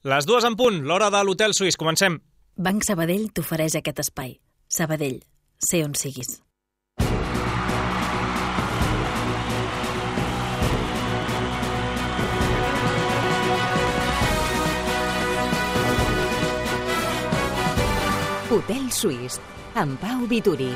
Les 2 en punt, l'hora de l'Hotel Suís. Comencem. Banc Sabadell t'ofereix aquest espai. Sabadell, sé on siguis. Hotel Suís, amb Pau Vituri.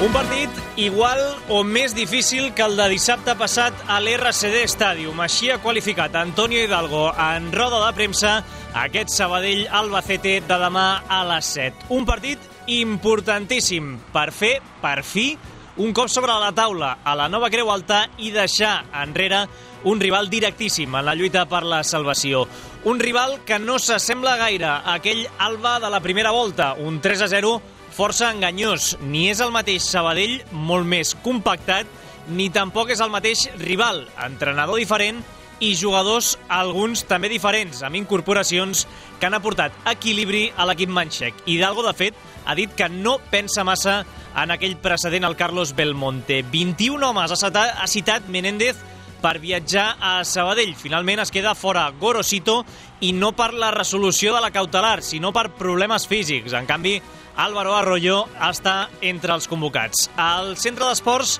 Un partit igual o més difícil que el de dissabte passat a l'RCD Stadium. Així ha qualificat Antonio Hidalgo en roda de premsa aquest Sabadell-Albacete de demà a les 7. Un partit importantíssim per fer, per fi, un cop sobre la taula a la nova Creu Alta i deixar enrere un rival directíssim en la lluita per la salvació. Un rival que no s'assembla gaire a aquell Alba de la primera volta, un 3-0 força enganyós. Ni és el mateix Sabadell, molt més compactat, ni tampoc és el mateix rival. Entrenador diferent i jugadors, alguns també diferents, amb incorporacions que han aportat equilibri a l'equip manxec. Hidalgo, de fet, ha dit que no pensa massa en aquell precedent al Carlos Belmonte. 21 homes ha citat Menéndez per viatjar a Sabadell. Finalment es queda fora Gorosito i no per la resolució de la cautelar, sinó per problemes físics. En canvi, Álvaro Arroyo està entre els convocats. Al centre d'esports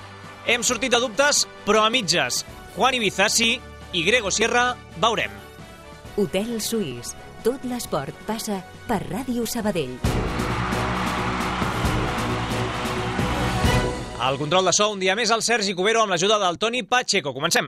hem sortit de dubtes, però a mitges. Juan Ibiza sí i Grego Sierra veurem. Hotel Suís. Tot l'esport passa per Ràdio Sabadell. Al control de so, un dia més, el Sergi Cubero amb l'ajuda del Toni Pacheco. Comencem.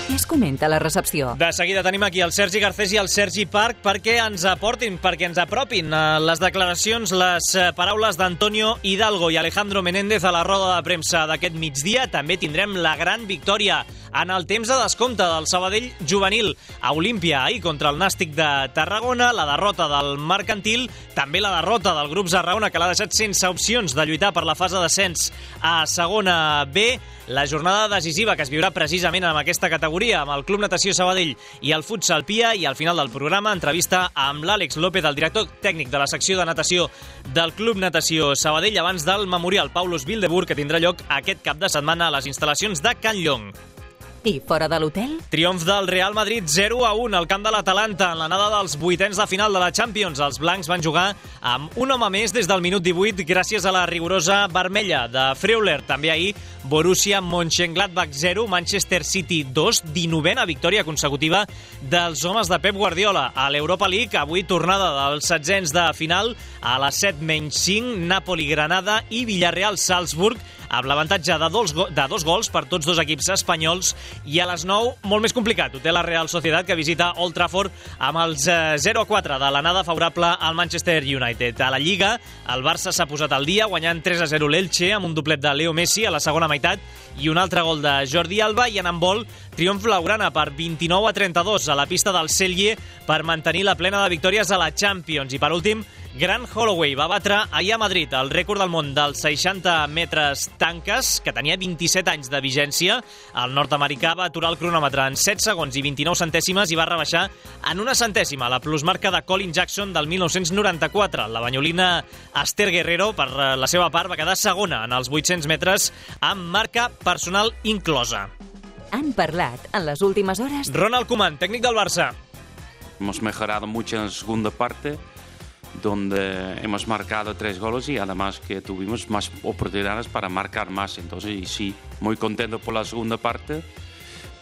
Què es comenta a la recepció? De seguida tenim aquí el Sergi Garcés i el Sergi Parc perquè ens aportin, perquè ens apropin les declaracions, les paraules d'Antonio Hidalgo i Alejandro Menéndez a la roda de premsa d'aquest migdia. També tindrem la gran victòria en el temps de descompte del Sabadell juvenil a Olímpia ahir contra el Nàstic de Tarragona, la derrota del Mercantil, també la derrota del Grup Zarraona, que l'ha deixat sense opcions de lluitar per la fase d'ascens a segona B, la jornada decisiva que es viurà precisament en aquesta categoria amb el Club Natació Sabadell i el Futsal Pia, i al final del programa entrevista amb l'Àlex López, el director tècnic de la secció de natació del Club Natació Sabadell, abans del Memorial Paulus Bilderburg, que tindrà lloc aquest cap de setmana a les instal·lacions de Can Llong. I fora de l'hotel? Triomf del Real Madrid 0-1 al camp de l'Atalanta en l'anada dels vuitens de final de la Champions. Els blancs van jugar amb un home més des del minut 18 gràcies a la rigorosa vermella de Freuler. També ahir Borussia Mönchengladbach 0, Manchester City 2, 19a victòria consecutiva dels homes de Pep Guardiola. A l'Europa League, avui tornada dels setzents de final a les 7-5, Napoli-Granada i Villarreal-Salzburg, amb l'avantatge de dos gols per tots dos equips espanyols. I a les 9, molt més complicat, ho té la Real Sociedad, que visita Old Trafford amb els 0-4 de l'anada favorable al Manchester United. A la Lliga, el Barça s'ha posat al dia, guanyant 3-0 l'Elche amb un doblet de Leo Messi a la segona meitat i un altre gol de Jordi Alba. I en handbol, triomf blaugrana per 29-32 a la pista del Celje per mantenir la plena de victòries a la Champions. I per últim, Grant Holloway va batre ahir a Madrid el rècord del món dels 60 metres tanques, que tenia 27 anys de vigència. El nord-americà va aturar el cronòmetre en 7 segons i 29 centèsimes i va rebaixar en una centèsima la plusmarca de Colin Jackson del 1994. La banyolina Esther Guerrero, per la seva part, va quedar segona en els 800 metres amb marca personal inclosa. Han parlat en les últimes hores Ronald Koeman, tècnic del Barça. Hemos mejorado mucho en la segunda parte, donde hemos marcado 3 goles y además que tuvimos más oportunidades para marcar más. Entonces, sí, muy contento por la segunda parte,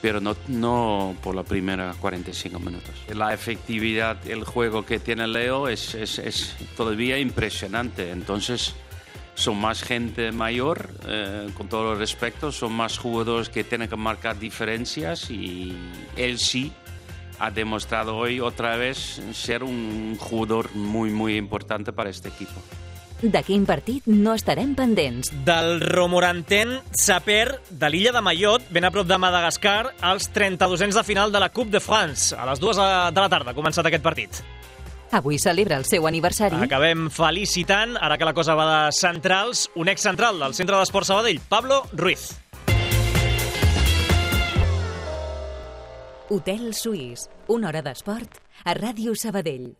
pero no por la primera 45 minutos. La efectividad, el juego que tiene Leo es todavía impresionante. Entonces, son más gente mayor, con todo el respeto, son más jugadores que tienen que marcar diferencias y él sí ha demostrado hoy otra vez ser un jugador muy, muy importante para este equipo. De quin partit no estarem pendents? Del Romorantin Saper de l'illa de Mayotte, ben a prop de Madagascar, als 32ens de final de la Coupe de France. A les 2 de la tarda ha començat aquest partit. Avui celebra el seu aniversari. Acabem felicitant, ara que la cosa va de centrals, un ex-central del Centre d'Esport Sabadell, Pablo Ruiz. Hotel Suís, una hora d'esport a Ràdio Sabadell.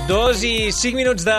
Dos i 5 minuts de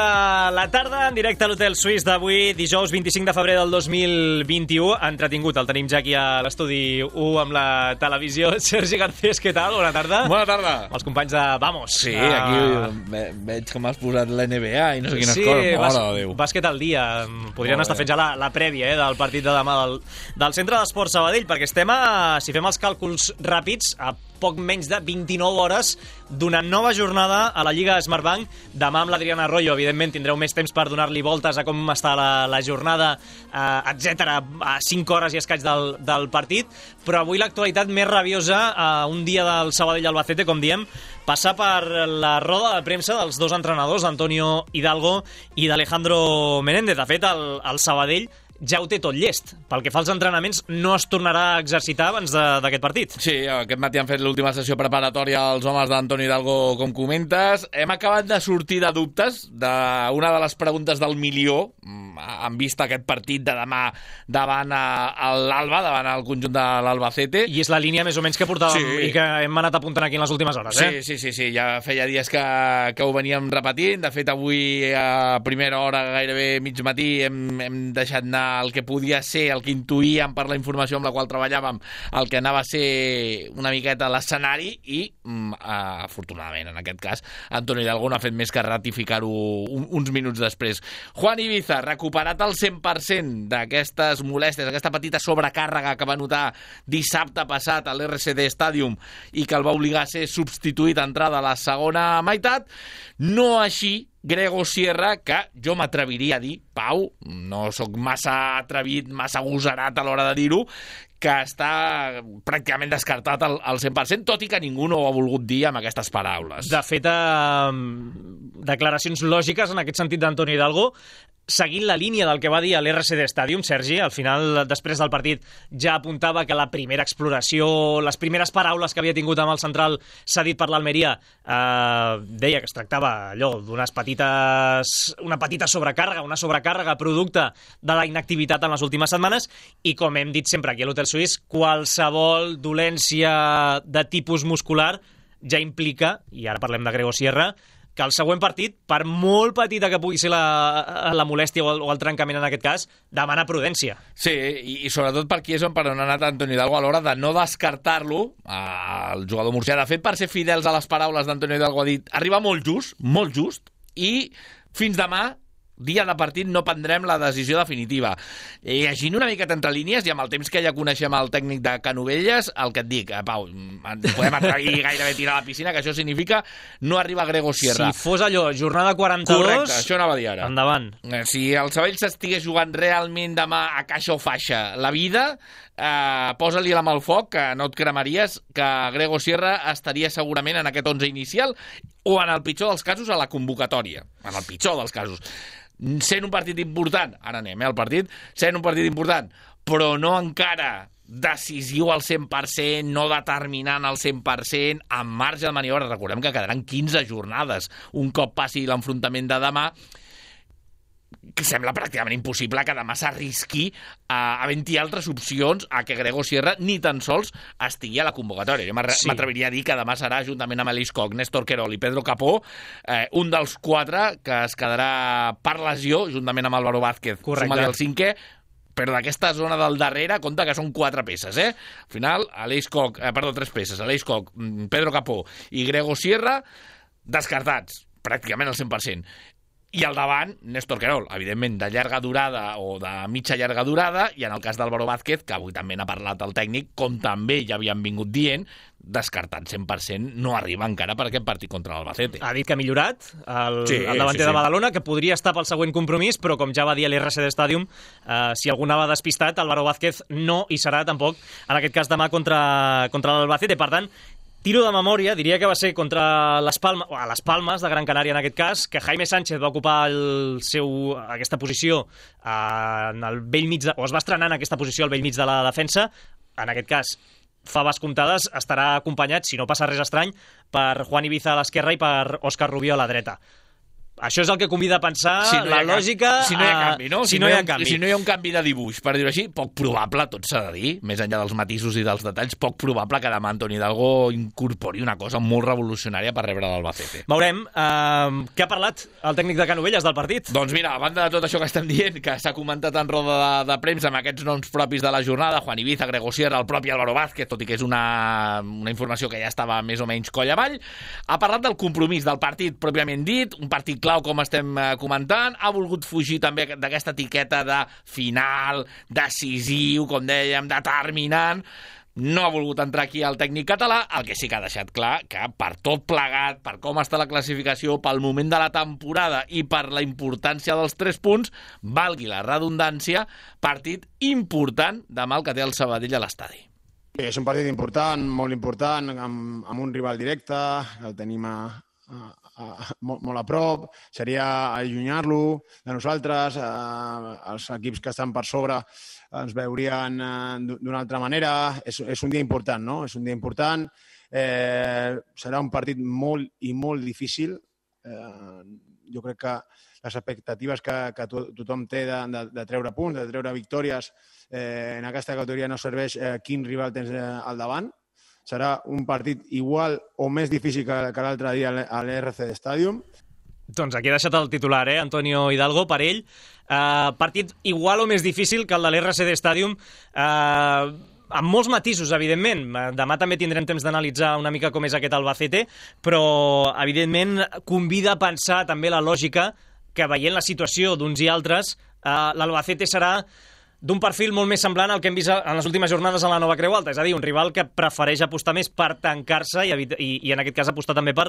la tarda, en directe a l'Hotel Suís d'avui, dijous 25 de febrer del 2021. Entretingut, el tenim ja aquí a l'estudi 1 amb la televisió. Sergi Garcés, què tal? Bona tarda. Bona tarda. Els companys de Vamos. Sí, aquí veig que m'has posat l'NBA i no sé quines coses. Sí, bàsquet al dia. Podrien estar fent ja la prèvia del partit de demà del Centre d'Esports Sabadell, perquè estem si fem els càlculs ràpids, a poc menys de 29 hores d'una nova jornada a la Lliga Smartbank. Demà amb l'Adriana Arroyo, evidentment, tindreu més temps per donar-li voltes a com està la jornada, etc. a 5 hores i escaig del partit, però avui l'actualitat més rabiosa, un dia del Sabadell-Albacete, com diem, passa per la roda de premsa dels dos entrenadors, Antonio Hidalgo i d'Alejandro Menéndez. De fet, el Sabadell ja ho té tot llest. Pel que fa als entrenaments, no es tornarà a exercitar abans d'aquest partit. Sí, aquest matí han fet l'última sessió preparatòria els homes d'Antonio Hidalgo, com comentes. Hem acabat de sortir de dubtes d'una de les preguntes del milió en vista aquest partit de demà davant l'Alba, davant el conjunt de l'Albacete. I és la línia més o menys que portàvem i que hem anat apuntant aquí en les últimes hores. Sí, ja feia dies que ho veníem repetint. De fet, avui a primera hora, gairebé mig matí, hem deixat anar el que podia ser, el que intuïem per la informació amb la qual treballàvem, el que anava a ser una miqueta l'escenari i, afortunadament, en aquest cas, Antonio Hidalgo no ha fet més que ratificar-ho uns minuts després. Juan Ibiza, recuperat al 100% d'aquestes molèsties, aquesta petita sobrecàrrega que va notar dissabte passat a l'RCD Stadium i que el va obligar a ser substituït a entrada a la segona meitat, no així Grego Sierra, que jo m'atreviria a dir, Pau, no sóc massa atrevit, massa agosarat a l'hora de dir-ho, que està pràcticament descartat al 100%, tot i que ningú no ho ha volgut dir amb aquestes paraules. De fet, declaracions lògiques en aquest sentit d'Antonio Hidalgo, seguint la línia del que va dir a l'RCD Stadium, Sergi, al final, després del partit, ja apuntava que la primera exploració, les primeres paraules que havia tingut amb el central cedit per l'Almeria, deia que es tractava allò d'una petita sobrecàrrega, una sobrecàrrega producte de la inactivitat en les últimes setmanes, i com hem dit sempre aquí a l'Hotel Suís, qualsevol dolència de tipus muscular ja implica, i ara parlem de Grego Sierra, que el següent partit, per molt petita que pugui ser la molèstia o el trencament en aquest cas, demana prudència. Sí, i sobretot per aquí és per on ha anat Antonio Hidalgo a l'hora de no descartar-lo, el jugador murcià. De fet, per ser fidels a les paraules d'Antonio Hidalgo, ha dit, arriba molt just, i fins demà, dia de partit, no prendrem la decisió definitiva. Llegint una miqueta entre línies, i amb el temps que ja coneixem el tècnic de Canovelles, el que et dic, Pau, podem atrevir gairebé tirar a la piscina, que això significa no arriba Grego Sierra. Si fos allò, jornada 42... Correcte, això anava a dir ara. Endavant. Si el Sabadell s'estigués jugant realment demà a caixa o faixa la vida, posa-li la mà al foc, que no et cremaries, que Grego Sierra estaria segurament en aquest 11 inicial o en el pitjor dels casos a la convocatòria. En el pitjor dels casos. Sent un partit important, ara anem al partit, sent un partit important, però no encara decisiu al 100%, no determinant al 100%, amb marge de maniobra. Recordem que quedaran 15 jornades. Un cop passi l'enfrontament de demà, que sembla pràcticament impossible que demà s'arrisqui a havent-hi altres opcions a que Grego Sierra ni tan sols estigui a la convocatòria. Jo m'atreviria a dir que demà serà, juntament amb Aleix Coc, Néstor Querol i Pedro Capó, un dels 4 que es quedarà per lesió, juntament amb Álvaro Vázquez. Suma-li el 5è, però d'aquesta zona del darrere, compta que són 4 peces, Al final, 3 peces. Aleix Coc, Pedro Capó i Grego Sierra, descartats, pràcticament al 100%. I al davant, Néstor Querol, evidentment de llarga durada o de mitja llarga durada, i en el cas d'Álvaro Vázquez, que avui també n'ha parlat el tècnic, com també ja havien vingut dient, descartant 100%, no arriba encara per aquest partit contra l'Albacete. Ha dit que ha millorat el davanter de Badalona, que podria estar pel següent compromís, però com ja va dir a l'RCD Stadium, si algú anava despistat, Álvaro Vázquez no hi serà tampoc, en aquest cas demà contra l'Albacete. Per tant, Tiro de memòria, diria que va ser contra les Palmes de Gran Canària en aquest cas, que Jaime Sánchez va ocupar aquesta posició en el bell mig, o es va estrenar en aquesta posició al bell mig de la defensa. En aquest cas, faves comptades, estarà acompanyat, si no passa res estrany, per Juan Ibiza a l'esquerra i per Òscar Rubio a la dreta. Això és el que convida a pensar la lògica... Si no hi ha canvi, no? Si no hi ha un canvi de dibuix, per dir-ho així, poc probable, tot s'ha de dir, més enllà dels matisos i dels detalls, poc probable que demà Antoni Hidalgo incorpori una cosa molt revolucionària per rebre l'Albacete. Veurem. Què ha parlat el tècnic de Canovelles del partit? Doncs mira, a banda de tot això que estem dient, que s'ha comentat en roda de premsa amb aquests noms propis de la jornada, Juan Ibiza, Grego Sierra, el propi Álvaro Vázquez, tot i que és una informació que ja estava més o menys coll avall, ha parlat del compromís del partit pròpiament dit, un partit clau com estem comentant, ha volgut fugir també d'aquesta etiqueta de final, decisiu, com dèiem, determinant. No ha volgut entrar aquí el tècnic català, el que sí que ha deixat clar que per tot plegat, per com està la classificació, pel moment de la temporada i per la importància dels 3 punts, valgui la redundància, partit important demà el que té el Sabadell a l'estadi. És un partit important, molt important, amb un rival directe, el tenim molt a prop, seria allunyar-lo de nosaltres, els equips que estan per sobre ens veurien d'una altra manera. És un dia important, no? És un dia important, serà un partit molt i molt difícil. Jo crec que les expectatives que tothom té de treure punts, de treure victòries, en aquesta categoria no serveix quin rival tens al davant. Serà un partit igual o més difícil que l'altre dia a l'RCD Stadium. Doncs aquí ha deixat el titular, Antonio Hidalgo, per ell. Partit igual o més difícil que el de l'RCD Stadium, amb molts matisos, evidentment. Demà també tindrem temps d'analitzar una mica com és aquest Albacete, però, evidentment, convida a pensar també la lògica que, veient la situació d'uns i altres, l'Albacete serà d'un perfil molt més semblant al que hem vist en les últimes jornades a la Nova Creu Alta, és a dir, un rival que prefereix apostar més per tancar-se i en aquest cas apostar també per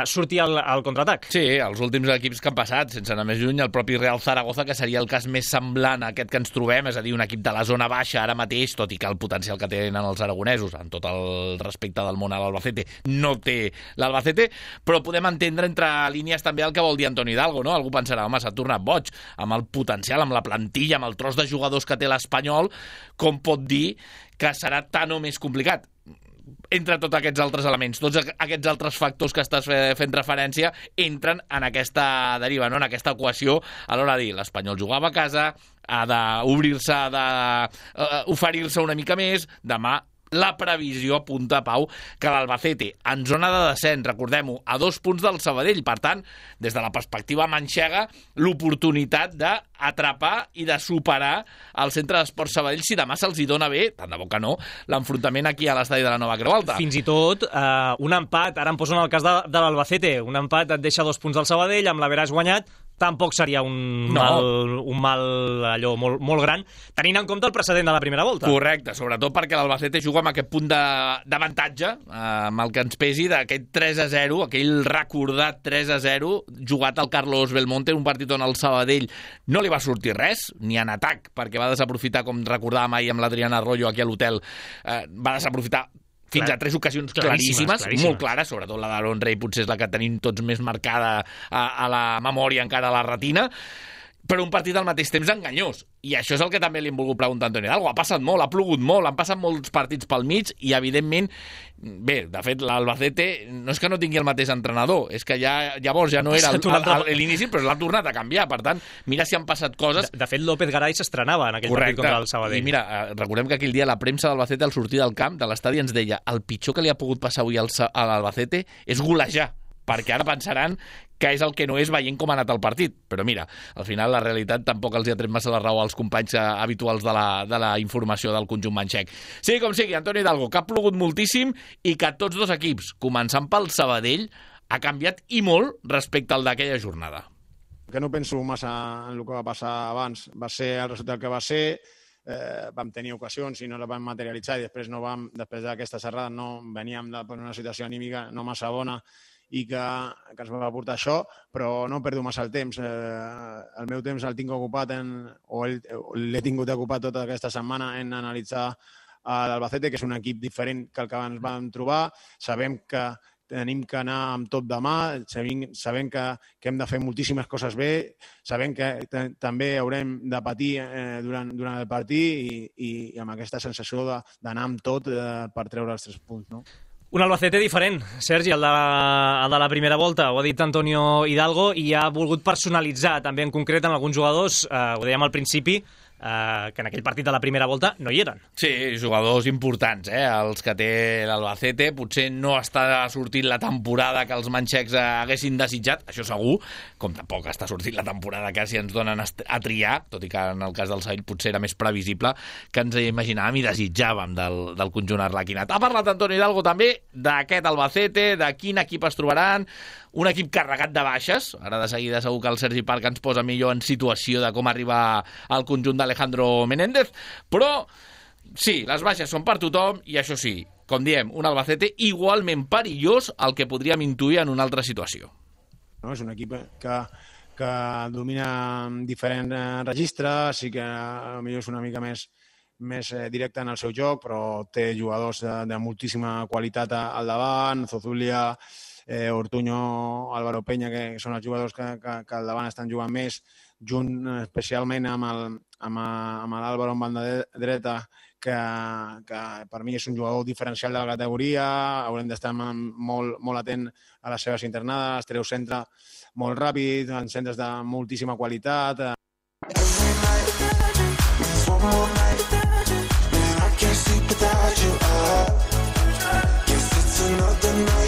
sortir al contraatac. Sí, els últims equips que han passat, sense anar més lluny, el propi Real Zaragoza, que seria el cas més semblant a aquest que ens trobem, és a dir, un equip de la zona baixa ara mateix, tot i que el potencial que tenen els aragonesos, en tot el respecte del món a l'Albacete, no té l'Albacete, però podem entendre entre línies també el que vol dir Antoni Hidalgo, no? Algú pensarà, home, s'ha tornat boig, amb el potencial, amb la plantilla, amb el tros de jugadors que té l'Espanyol, com pot dir que serà tan o més complicat? Entre tots aquests altres elements, tots aquests altres factors que estàs fent referència entren en aquesta deriva, no? En aquesta equació a l'hora de dir l'Espanyol jugava a casa, ha d'obrir-se, ha d'oferir-se una mica més, demà la previsió apunta, Pau, que l'Albacete, en zona de descens, recordem-ho, a 2 punts del Sabadell. Per tant, des de la perspectiva manxega, l'oportunitat d'atrapar i de superar el centre d'esports Sabadell si demà se'ls hi dona bé, tant de bo que no, l'enfrontament aquí a l'estadi de la Nova Creu Alta. Fins i tot un empat, ara em poso en el cas de l'Albacete, un empat et deixa 2 punts del Sabadell, amb l'Average guanyat, tampoc seria un mal allò molt gran, tenint en compte el precedent de la primera volta. Correcte, sobretot perquè l'Albacete juga amb aquest punt d'avantatge, amb el que ens pesi d'aquest 3-0, aquell recordat 3-0, jugat al Carlos Belmonte, un partit on el Sabadell no li va sortir res, ni en atac, perquè va desaprofitar, com recordàvem ahir amb l'Adriana Arroyo aquí a l'hotel, va desaprofitar fins a 3 ocasions claríssimes, molt clares, sobretot la d'Aaron Rey potser és la que tenim tots més marcada a la memòria, encara a la retina, però un partit al mateix temps enganyós. I això és el que també li hem volgut preguntar a Antoni Hidalgo. Ha passat molt, ha plogut molt, han passat molts partits pel mig i, evidentment, bé, de fet, l'Albacete no és que no tingui el mateix entrenador, és que llavors ja no era l'inici, però l'ha tornat a canviar. Per tant, mira si han passat coses. De fet, López Garay s'estrenava en aquell partit contra el Sabadell. I mira, recordem que aquell dia la premsa d'Albacete al sortir del camp, de l'estadi, ens deia el pitjor que li ha pogut passar avui a l'Albacete és golejar, perquè ara pensaran que és el que no és veient com ha anat el partit. Però mira, al final la realitat tampoc els hi ha tret massa la raó als companys habituals de la informació del conjunt manxec. Sigui com sigui, Antoni Hidalgo, que ha plogut moltíssim i que tots dos equips, començant pel Sabadell, ha canviat i molt respecte al d'aquella jornada. Que no penso massa en el que va passar abans. Va ser el resultat que va ser, vam tenir ocasions i no la vam materialitzar i després d'aquesta serrada no veníem per una situació anímica no massa bona i que ens va portar això, però no perdo massa el temps. El meu temps el tinc ocupat l'he tingut ocupat tota aquesta setmana en analitzar a l'Albacete, que és un equip diferent que el que ens vam trobar. Sabem que tenim que anar amb tot demà, sabem que hem de fer moltíssimes coses bé, sabem que també haurem de patir durant el partit i amb aquesta sensació d'anar amb tot per treure els 3 punts, no? Un Albacete diferent, Sergi, el de la primera volta, ho ha dit Antonio Hidalgo, i ha volgut personalitzar també en concret en alguns jugadors, ho dèiem al principi, que en aquell partit de la primera volta no hi eren. Sí, jugadors importants, els que té l'Albacete. Potser no està sortint la temporada que els manxecs haguessin desitjat, això segur, com tampoc està sortint la temporada que si ens donen a triar, tot i que en el cas del Sevilla potser era més previsible que ens imaginàvem i desitjàvem del conjunt arlequinat. Ha parlat Antonio Hidalgo també d'aquest Albacete, de quin equip es trobaran, un equip carregat de baixes. Ara de seguida segur que el Sergi Parc ens posa millor en situació de com arribar al conjunt d'Alejandro Menéndez, però sí, les baixes són per tothom i això sí, com diem, un Albacete igualment perillós al que podríem intuir en una altra situació. No, és un equip que domina diferents registres, sí que potser és una mica més directe en el seu joc, però té jugadors de moltíssima qualitat al davant, Zozulia, Ortuño, Álvaro Peña, que són els jugadors que al davant estan jugant més, junt especialment amb l'Álvaro en banda dreta, que per mi és un jugador diferencial de la categoria. Haurem d'estar molt atent a les seves internades, treu centre molt ràpid, en centres de moltíssima qualitat.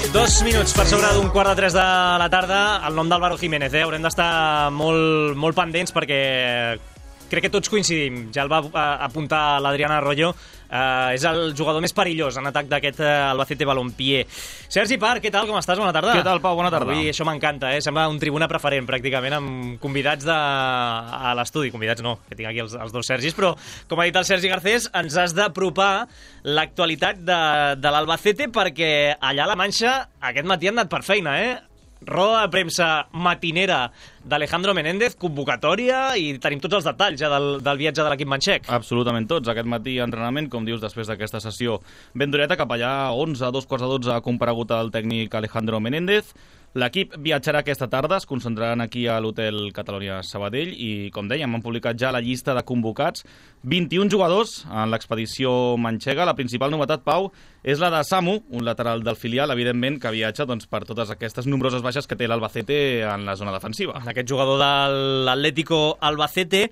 2 minuts per sobre d'un 2:45 de la tarda. El nom d'Álvaro Jiménez, haurem d'estar molt pendents perquè crec que tots coincidim. Ja el va apuntar l'Adriana Arroyo. És el jugador més perillós en atac d'aquest Albacete Balompié. Sergi Parc, què tal? Com estàs? Bona tarda. Què tal, Pau? Bona tarda. Avui això m'encanta, sembla un tribuna preferent, pràcticament, amb convidats a l'estudi. Convidats no, que tinc aquí els 2 Sergis, però, com ha dit el Sergi Garcés, ens has d'apropar l'actualitat de l'Albacete, perquè allà a la Manxa aquest matí han anat per feina, Roda de premsa matinera d'Alejandro Menéndez, convocatòria, i tenim tots els detalls ja del viatge de l'equip manxec. Absolutament tots. Aquest matí entrenament, com dius, després d'aquesta sessió ben dureta, cap allà 11, 2:45 ha comparegut el tècnic Alejandro Menéndez. L'equip viatjarà aquesta tarda, es concentraran aquí a l'hotel Catalonia Sabadell i, com dèiem, han publicat ja la llista de convocats. 21 jugadors en l'expedició manxega. La principal novetat, Pau, és la de Samu, un lateral del filial, evidentment, que viatja per totes aquestes nombroses baixes que té l'Albacete en la zona defensiva. Aquest jugador de l'Atlético Albacete.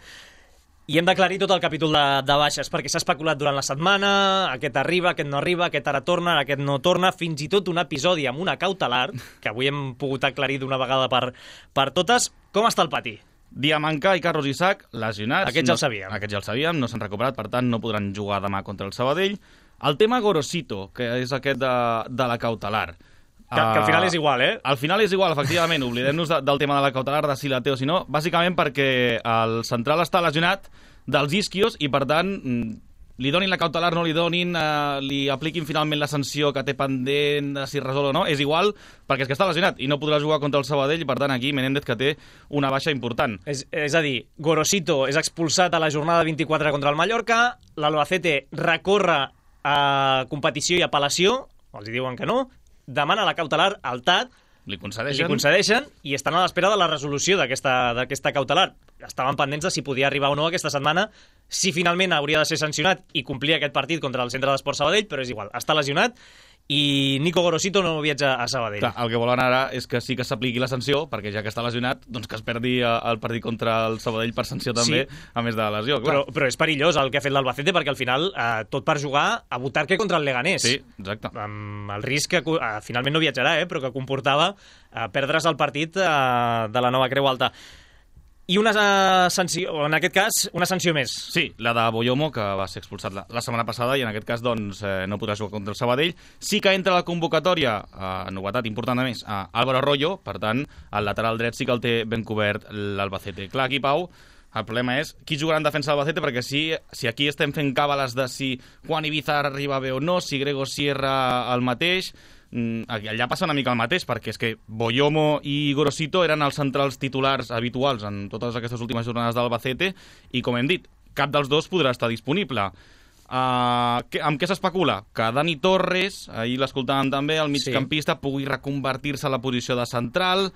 I hem d'aclarir tot el capítol de baixes, perquè s'ha especulat durant la setmana, aquest arriba, aquest no arriba, aquest ara torna, aquest no torna, fins i tot un episodi amb una cautelar, que avui hem pogut aclarir d'una vegada per totes. Com està el pati? Diamanca i Carlos Isaac, lesionats. Aquests ja el sabíem. Aquests ja el sabíem, no s'han recuperat, per tant no podran jugar demà contra el Sabadell. El tema Gorosito, que és aquest de la cautelar. Que al final és igual, Al final és igual, efectivament. Oblidem-nos del tema de la cautelar, de si la té o si no, bàsicament perquè el central està lesionat dels isquios i, per tant, li donin la cautelar, no li donin, li apliquin finalment la sanció que té pendent de si resol o no, és igual, perquè és que està lesionat i no podrà jugar contra el Sabadell i, per tant, aquí Menéndez que té una baixa important. És a dir, Gorosito és expulsat a la jornada 24 contra el Mallorca, l'Albacete recorre a competició i apel·lació, els diuen que no, demana la cautelar al TAT, li concedeixen i estan a l'espera de la resolució d'aquesta cautelar. Estaven pendents de si podia arribar o no aquesta setmana, si finalment hauria de ser sancionat i complir aquest partit contra el Centre d'Esport Sabadell, però és igual, està lesionat i Nico Gorosito no viatja a Sabadell. Clar, el que volen ara és que sí que s'apliqui la sanció, perquè ja que està lesionat, doncs que es perdi el partit contra el Sabadell per sanció també, sí, a més de la lesió. Clar. Però és perillós el que ha fet l'Albacete, perquè al final tot per jugar a Butarque contra el Leganés. Sí, exacte. Amb el risc que finalment no viatjarà, però que comportava perdre's el partit de la Nova Creu Alta. I una sanció, en aquest cas, una sanció més. Sí, la de Boyomo, que va ser expulsat la setmana passada i en aquest cas doncs, no podrà jugar contra el Sabadell. Sí que entra a la convocatòria, novetat important a més, a Álvaro Arroyo, per tant, el lateral dret sí que el té ben cobert l'Albacete. Clar, aquí, Pau, el problema és qui jugarà en defensa de l'Albacete, perquè si aquí estem fent càbales de si Juan Ibiza arriba bé o no, si Grego Sierra el mateix, allà passa una mica el mateix, perquè és que Boyomo i Gorosito eren els centrals titulars habituals en totes aquestes últimes jornades d'Albacete i, com hem dit, cap dels dos podrà estar disponible. Amb què s'especula? Que Dani Torres, ahir l'escoltàvem també, el migcampista, pugui reconvertir-se a la posició de central.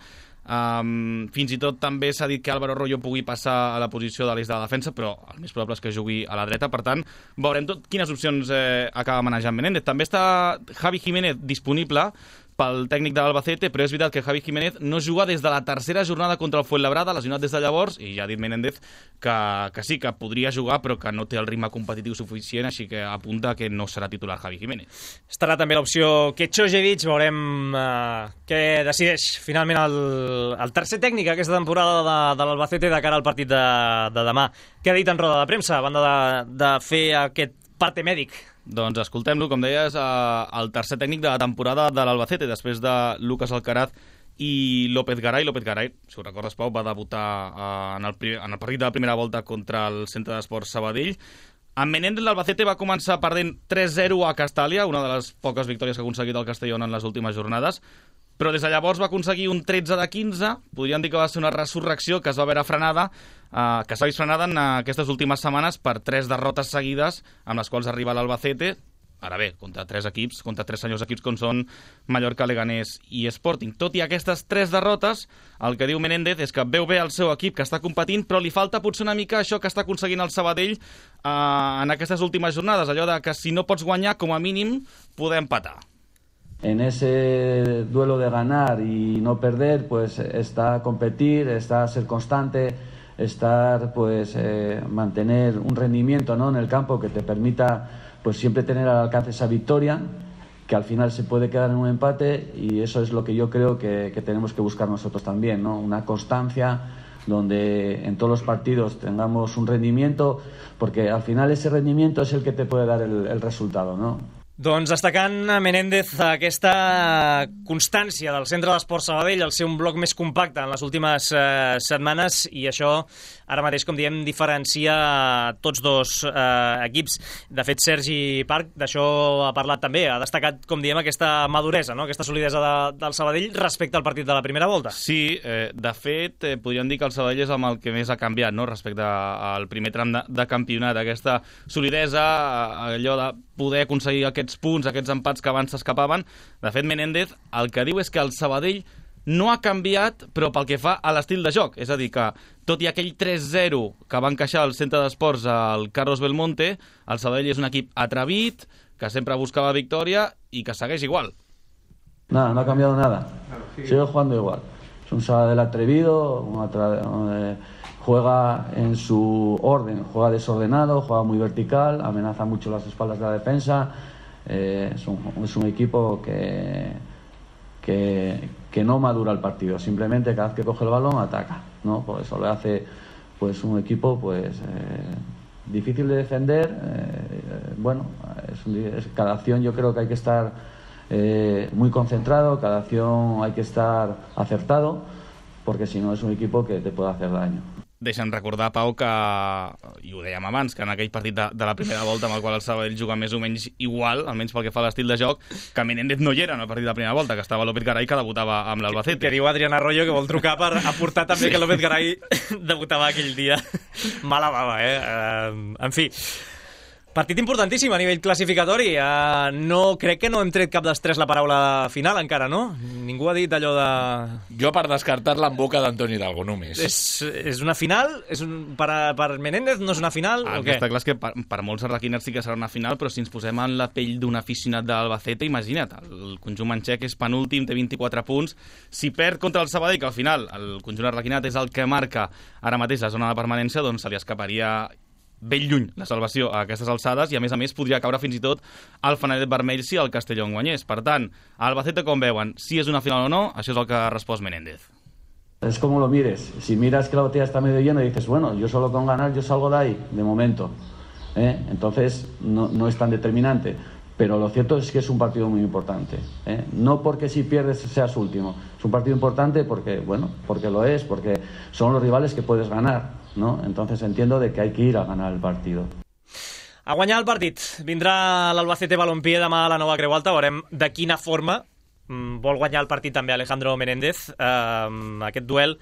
Fins i tot també s'ha dit que Álvaro Rollo pugui passar a la posició de l'eix de la defensa, però el més probable és que jugui a la dreta. Per tant, veurem quines opcions acaba manejant Menéndez. També està Javi Jiménez disponible pel tècnic de l'Albacete, però és veritat que Javi Jiménez no juga des de la tercera jornada contra el Fuenlabrada, lesionat des de llavors, i ja ha dit Menéndez que sí, que podria jugar, però que no té el ritme competitiu suficient, així que apunta que no serà titular Javi Jiménez. Estarà també l'opció Ketxojevic, veurem què decideix finalment el tercer tècnic aquesta temporada de l'Albacete de cara al partit de demà. Què ha dit en roda de premsa, a banda de fer aquest parte mèdic? Doncs escoltem-lo, com deies, el tercer tècnic de la temporada de l'Albacete, després de Lucas Alcaraz i López Garay. López Garay, si ho recordes, Pau, va debutar en el partit de la primera volta contra el Centre d'Esports Sabadell. Amb Menéndez, l'Albacete va començar perdent 3-0 a Castàlia, una de les poques victòries que ha aconseguit el Castellón en les últimes jornades, però des de llavors va aconseguir un 13 de 15, podríem dir que va ser una resurrecció que es va veure frenada, que s'ha vist frenada en aquestes últimes setmanes per 3 derrotes seguides amb les quals arriba l'Albacete, ara bé, contra 3 equips, contra 3 senyors equips com són Mallorca, Leganés i Sporting. Tot i aquestes 3 derrotes, el que diu Menéndez és que veu bé el seu equip, que està competint, però li falta potser una mica això que està aconseguint el Sabadell en aquestes últimes jornades, allò de que si no pots guanyar, com a mínim, poder empatar. En ese duelo de ganar y no perder, pues está competir, está ser constante, estar, pues mantener un rendimiento, ¿no?, en el campo que te permita, pues siempre tener al alcance esa victoria, que al final se puede quedar en un empate, y eso es lo que yo creo que tenemos que buscar nosotros también, ¿no? Una constancia donde en todos los partidos tengamos un rendimiento, porque al final ese rendimiento es el que te puede dar el resultado, ¿no? Doncs destacant Menéndez aquesta constància del Centre d'Esports Sabadell, el ser un bloc més compacte en les últimes setmanes, i això ara mateix, com diem, diferencia tots dos equips. De fet, Sergi Parc d'això ha parlat també, ha destacat, com diem, aquesta maduresa, no?, aquesta solidesa del Sabadell respecte al partit de la primera volta. Sí, de fet, podríem dir que el Sabadell és amb el que més ha canviat, no?, respecte al primer tram de campionat, aquesta solidesa, allò de poder aconseguir aquests punts, aquests empats que abans s'escapaven. De fet, Menéndez el que diu és que el Sabadell no ha canviat, però pel que fa a l'estil de joc. És a dir, que tot i aquell 3-0 que va encaixar al Centre d'Esports al Carlos Belmonte, el Sabadell és un equip atrevit, que sempre buscava victòria i que segueix igual. Nada, no ha cambiado nada. Sigue jugando igual. Es un Sabadell atrevido, juega en su orden, juega desordenado, juega muy vertical, amenaza mucho las espaldas de la defensa. Es un equipo que no madura el partido, simplemente cada vez que coge el balón ataca, ¿no? Por eso le hace, pues, un equipo, pues, difícil de defender. Cada acción yo creo que hay que estar muy concentrado, cada acción hay que estar acertado, porque si no es un equipo que te puede hacer daño. Deixa'm recordar, Pau, que, i ho dèiem abans, que en aquell partit de la primera volta amb el qual el Sabadell juga més o menys igual, almenys pel que fa a l'estil de joc, que Menéndez no hi era en el partit de la primera volta, que estava López Garay, que debutava amb l'Albacete. Que diu Adrián Arroyo que vol trucar per aportar també que López Garay debutava aquell dia. Mala bava, En fi, partit importantíssim a nivell classificatori. No, crec que no hem tret cap dels tres la paraula final encara, no? Ningú ha dit allò de... Jo, per descartar-la en boca d'Antoni Hidalgo, només. És una final? Per Menéndez no és una final? El que està clar és que per molts arlequiners sí que serà una final, però si ens posem en la pell d'un aficionat de l'Albacete, imagina't, el conjunt manxec és penúltim, té 24 punts. Si perd contra el Sabadell, que al final el conjunt arlequinat és el que marca ara mateix la zona de permanència, doncs se li escaparia ben lluny la salvació a aquestes alçades, i a més podria caure fins i tot al fanalet vermell si el Castellón guanyés. Per tant, a Albacete, com veuen, si és una final o no, això és el que ha respost Menéndez. Es como lo mires. Si miras que la botella está medio llena y dices, bueno, yo solo con ganar yo salgo de ahí, de momento. Entonces no es tan determinante. Pero lo cierto es que es un partido muy importante. No porque si pierdes seas último. Es un partido importante porque lo es, porque son los rivales que puedes ganar, ¿no? Entonces entiendo de que hay que ir a ganar el partido. A guanyar el partit. Vindrà l'Albacete Balompié demà a la Nova Creu Alta. Veurem de quina forma vol guanyar el partit també Alejandro Menéndez. Aquest duel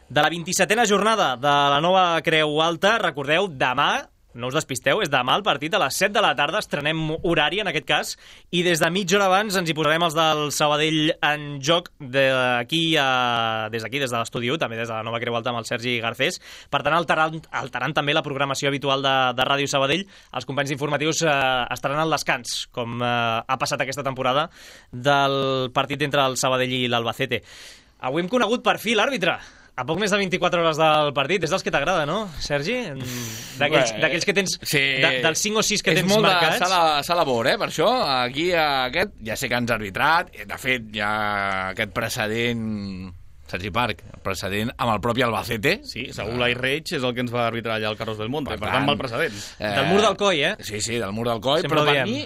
de la 27a jornada de la Nova Creu Alta. Recordeu, demà no us despisteu, és demà el partit a les 7 de la tarda, estrenem horari en aquest cas, i des de mitja hora abans ens hi posarem els del Sabadell en joc des d'aquí, des de l'Estudi 1, també des de la Nova Creu Alta amb el Sergi Garcés, per tant alterant també la programació habitual de Ràdio Sabadell. Els companys informatius estaran al descans, com ha passat aquesta temporada, del partit entre el Sabadell i l'Albacete. Avui hem conegut per fi l'àrbitre. A poc més de 24 hores del partit. És dels que t'agrada, no, Sergi? D'aquells que tens... Sí. Dels 5 o 6 que tens marcats. És molt de sala labor, per això. Aquí, aquest, ja sé que ens ha arbitrat. De fet, hi ha aquest precedent... Sergi Parc, el precedent amb el propi Albacete. Sí, segur l'Ai Reig és el que ens va arbitrar allà al Carros del Monte. Per tant, mal precedent. Del mur del Coll, Sí, del mur del Coll. Sempre però per mi,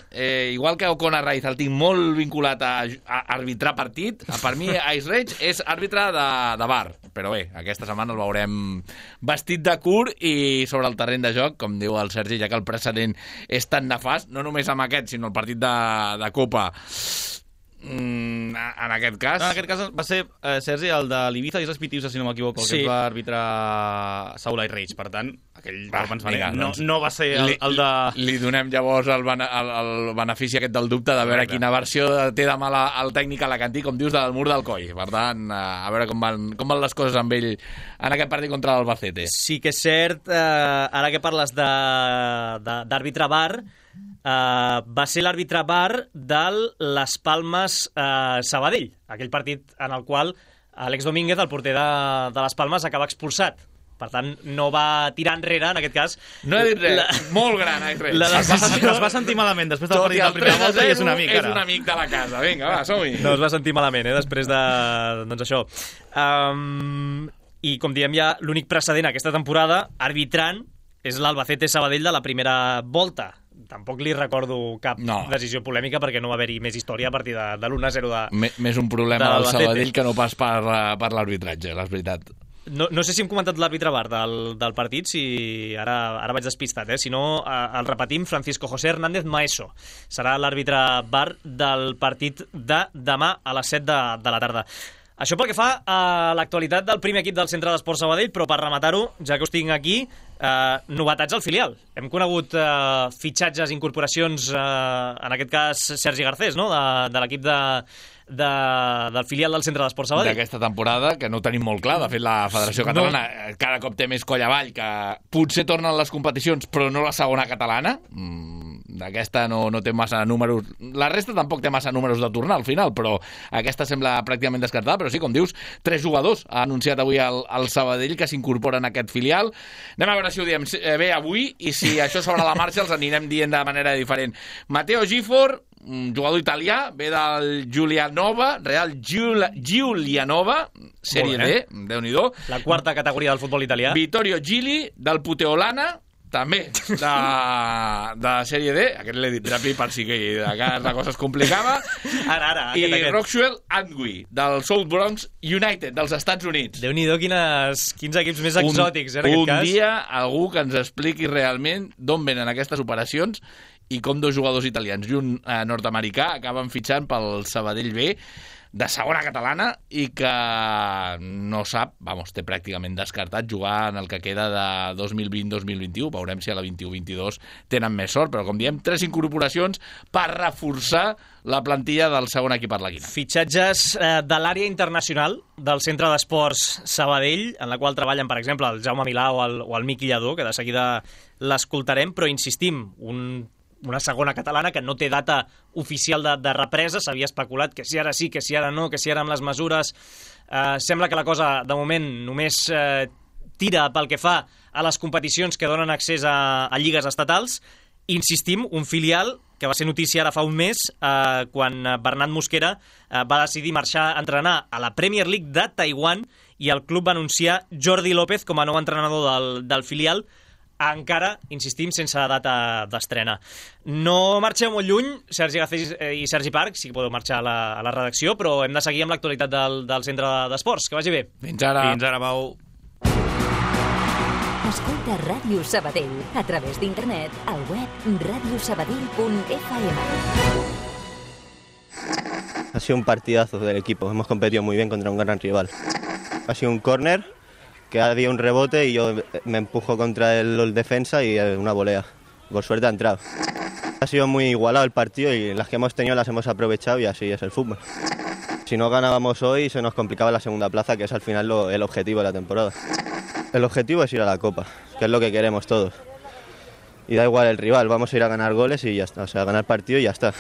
igual que Ocona Raiz el tinc molt vinculat a arbitrar partit, per mi Ais Reig és àrbitre de bar. Però bé, aquesta setmana el veurem vestit de curt i sobre el terreny de joc, com diu el Sergi, ja que el precedent és tan nefast, no només amb aquest, sinó el partit de Copa. En aquest cas... En aquest cas va ser, Sergi, el de l'Ibiza i els Pitiusa, si no m'equivoco, el que ens va arbitrar Saúl Ais Reig. Per tant, aquell no va ser el de... Li donem llavors el benefici aquest del dubte de veure quina versió té demà el tècnic alacantí, com dius, del mur del Coll. Per tant, a veure com van les coses amb ell en aquest partit contra l'Albacete. Sí que és cert, ara que parles d'àrbitre bar, va ser l'àrbitre bar del Las Palmes Sabadell, aquell partit en el qual Àlex Domínguez, el porter de Las Palmes, acaba expulsat. Per tant, no va tirar enrere, en aquest cas. No he dit res, molt gran, Es va sentir malament després del partit de la primera volta i és un amic, ara. És un amic de la casa, vinga, va, som-hi. No es va sentir malament, després de... doncs això. I com diem, ja l'únic precedent aquesta temporada, arbitrant, és l'Albacete Sabadell de la primera volta. Tampoc li recordo cap decisió polèmica perquè no va haver-hi més història a partir de l'1-0 de... Més un problema del Sabadell que no pas per l'arbitratge, és veritat. No sé si hem comentat l'àrbitre bar del partit, si ara vaig despistat, si no el repetim, Francisco José Hernández Maeso serà l'àrbitre bar del partit de demà a les 7 de la tarda. Això pel que fa a l'actualitat del primer equip del Centre d'Esports Sabadell, però per rematar-ho, ja que us tinc aquí, novetats al filial. Hem conegut fitxatges, incorporacions, en aquest cas Sergi Garcés, no? De l'equip del filial del Centre d'Esports Sabadell. D'aquesta temporada, que no ho tenim molt clar. De fet, la Federació Catalana cada cop té més coll avall, que potser tornen les competicions, però no la segona catalana. D'aquesta no té massa números. La resta tampoc té massa números de tornar al final, però aquesta sembla pràcticament descartada. Però sí, com dius, 3 jugadors ha anunciat avui el Sabadell que s'incorporen a aquest filial. Anem a veure si ho diem bé avui i si això sobre la marxa els anirem dient de manera diferent. Matteo Gifor, un jugador italià, ve del Giulianova, Real Giulianova, Sèrie D, Déu-n'hi-do. La quarta categoria del futbol italià. Vittorio Gili, del Puteolana, també, de Sèrie D. Aquest l'he dit ràpid per si la cosa es complicava. Ara. I Roxwell Antwi, del South Bronx United, dels Estats Units. Déu-n'hi-do quins equips més exòtics, en aquest cas. Un dia algú que ens expliqui realment d'on venen aquestes operacions i com 2 jugadors italians i un nord-americà acaben fitxant pel Sabadell B de segona catalana i que no sap, té pràcticament descartat jugar en el que queda de 2020-2021. Veurem si a la 21-22 tenen més sort, però com diem, 3 incorporacions per reforçar la plantilla del segon equip arlequinat. Fitxatges de l'àrea internacional del Centre d'Esports Sabadell, en la qual treballen, per exemple, el Jaume Milà o el Miqui Lladó, que de seguida l'escoltarem, però insistim, una segona catalana que no té data oficial de represa. S'havia especulat que si ara sí, que si ara no, que si ara amb les mesures. Sembla que la cosa, de moment, només tira pel que fa a les competicions que donen accés a lligues estatals. Insistim, un filial que va ser notícia ara fa un mes, quan Bernat Mosquera va decidir marxar a entrenar a la Premier League de Taiwan i el club va anunciar Jordi López com a nou entrenador del filial, encara, insistim, sense data d'estrena. No marxeu molt lluny, Sergi Garcés i Sergi Parc, sí que podeu marxar a la redacció, però hem de seguir amb l'actualitat del Centre d'Esports. Que vagi bé. Fins ara. Fins ara, Pau. Escolta Ràdio Sabadell a través d'internet al web radiosabadell.fm. Ha sido un partidazo del equipo. Hemos competido muy bien contra un gran rival. Ha sido un córner que había un rebote y yo me empujo contra el defensa y una volea. Por suerte ha entrado. Ha sido muy igualado el partido y las que hemos tenido las hemos aprovechado y así es el fútbol. Si no ganábamos hoy se nos complicaba la segunda plaza, que es al final el objetivo de la temporada. El objetivo es ir a la Copa, que es lo que queremos todos. Y da igual el rival, vamos a ir a ganar goles y ya está, o sea, a ganar partido y ya está.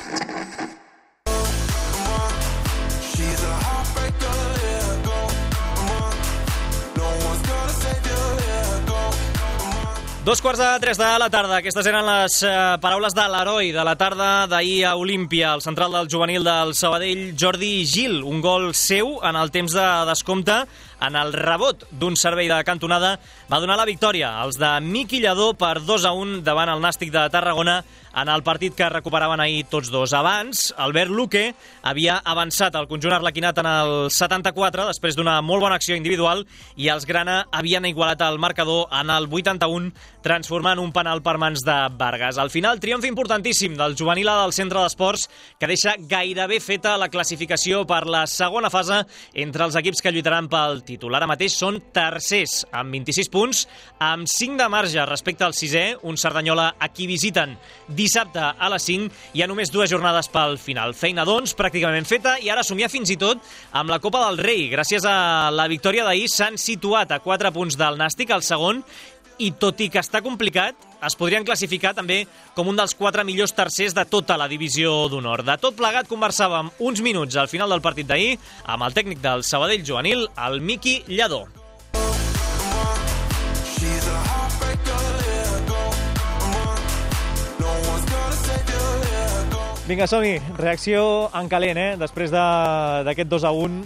Dos quarts de 3 de la tarda. Aquestes eren les paraules de l'heroi de la tarda d'ahir a Olímpia, el central del juvenil del Sabadell, Jordi Gil. Un gol seu en el temps de descompte, en el rebot d'un servei de cantonada, va donar la victòria als de Miqui Lladó per 2-1 davant el Nàstic de Tarragona en el partit que recuperaven ahir tots dos. Abans, Albert Luque havia avançat el conjunt arlequinat en el 74 després d'una molt bona acció individual i els grana havien igualat el marcador en el 81 transformant un penal per mans de Vargas. Al final, triomf importantíssim del juvenil del Centre d'Esports que deixa gairebé feta la classificació per la segona fase entre els equips que lluitaran pel títol. Ara mateix són tercers amb 26 punts, amb 5 de marge respecte al sisè, un Cerdanyola a qui visiten dissabte a les 5. Hi ha només 2 jornades pel final. Feina, doncs, pràcticament feta i ara somiar fins i tot amb la Copa del Rei. Gràcies a la victòria d'ahir s'han situat a 4 punts del Nàstic, al segon, i tot i que està complicat, es podrien classificar també com un dels 4 millors tercers de tota la divisió d'honor. De tot plegat conversàvem uns minuts al final del partit d'ahir amb el tècnic del Sabadell juvenil, el Miqui Lladó. Vinga, som-hi. Reacció en calent, després d'aquest 2-1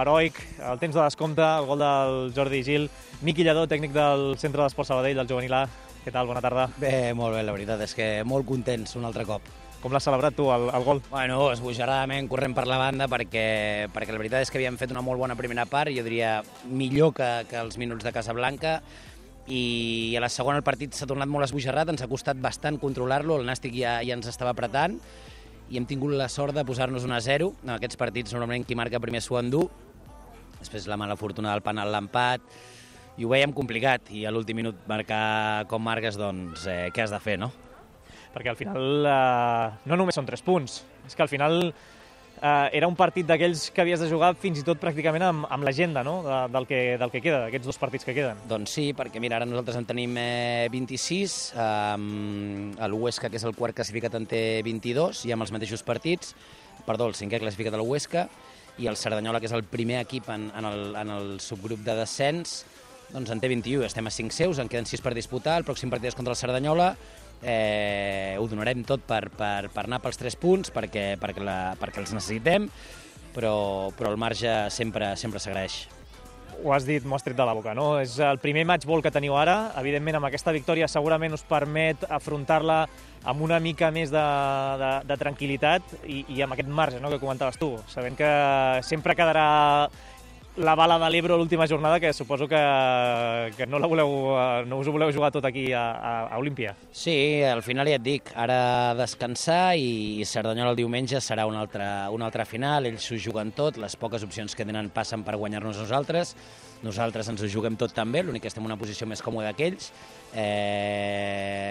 heroic, el temps de descompte, el gol del Jordi Gil. Miqui Lladó, tècnic del Centre d'Esports Sabadell, del juvenil A. Què tal? Bona tarda. Bé, molt bé, la veritat és que molt contents un altre cop. Com l'has celebrat tu, el gol? Bueno, esbojarradament, corrent per la banda, perquè la veritat és que havíem fet una molt bona primera part, jo diria millor que els minuts de Casablanca, i a la segona el partit s'ha tornat molt esbojarrat, ens ha costat bastant controlar-lo, el Nàstic ja ens estava apretant, i hem tingut la sort de posar-nos 1-0. En aquests partits normalment qui marca primer s'ho endú, després la mala fortuna del penal, l'empat, i ho veiem complicat, i a l'últim minut marcar com marques, doncs què has de fer, no? Perquè al final no només són 3 punts, és que al final era un partit d'aquells que havies de jugar fins i tot pràcticament amb l'agenda, no? del que queda, d'aquests 2 partits que queden. Doncs sí, perquè mira, ara nosaltres en tenim 26, l'Huesca, que és el quart classificat, en té 22, i amb els mateixos partits, el 5è classificat a l'Huesca, i el Cerdanyola, que és el primer equip en el subgrup de descens, doncs en té 21, estem a 5 seus, en queden 6 per disputar, el pròxim partit és contra el Cerdanyola, ho donarem tot per anar pels 3 punts, perquè els necessitem, però el marge sempre s'agraeix. Ho has dit, m'ho has tret de la boca, no? És el primer matchball que teniu ara, evidentment amb aquesta victòria segurament us permet afrontar-la amb una mica més de tranquil·litat i amb aquest marge, no?, que comentaves tu, sabent que sempre quedarà la bala de l'Ebro l'última jornada, que suposo que no us ho voleu jugar tot aquí a Olímpia. Sí, al final ja et dic, ara descansar, i Cerdanyola el diumenge serà una altra final, ells s'ho juguen tot, les poques opcions que tenen passen per guanyar-nos nosaltres ens ho juguem tot també, l'únic que estem en una posició més còmoda que ells.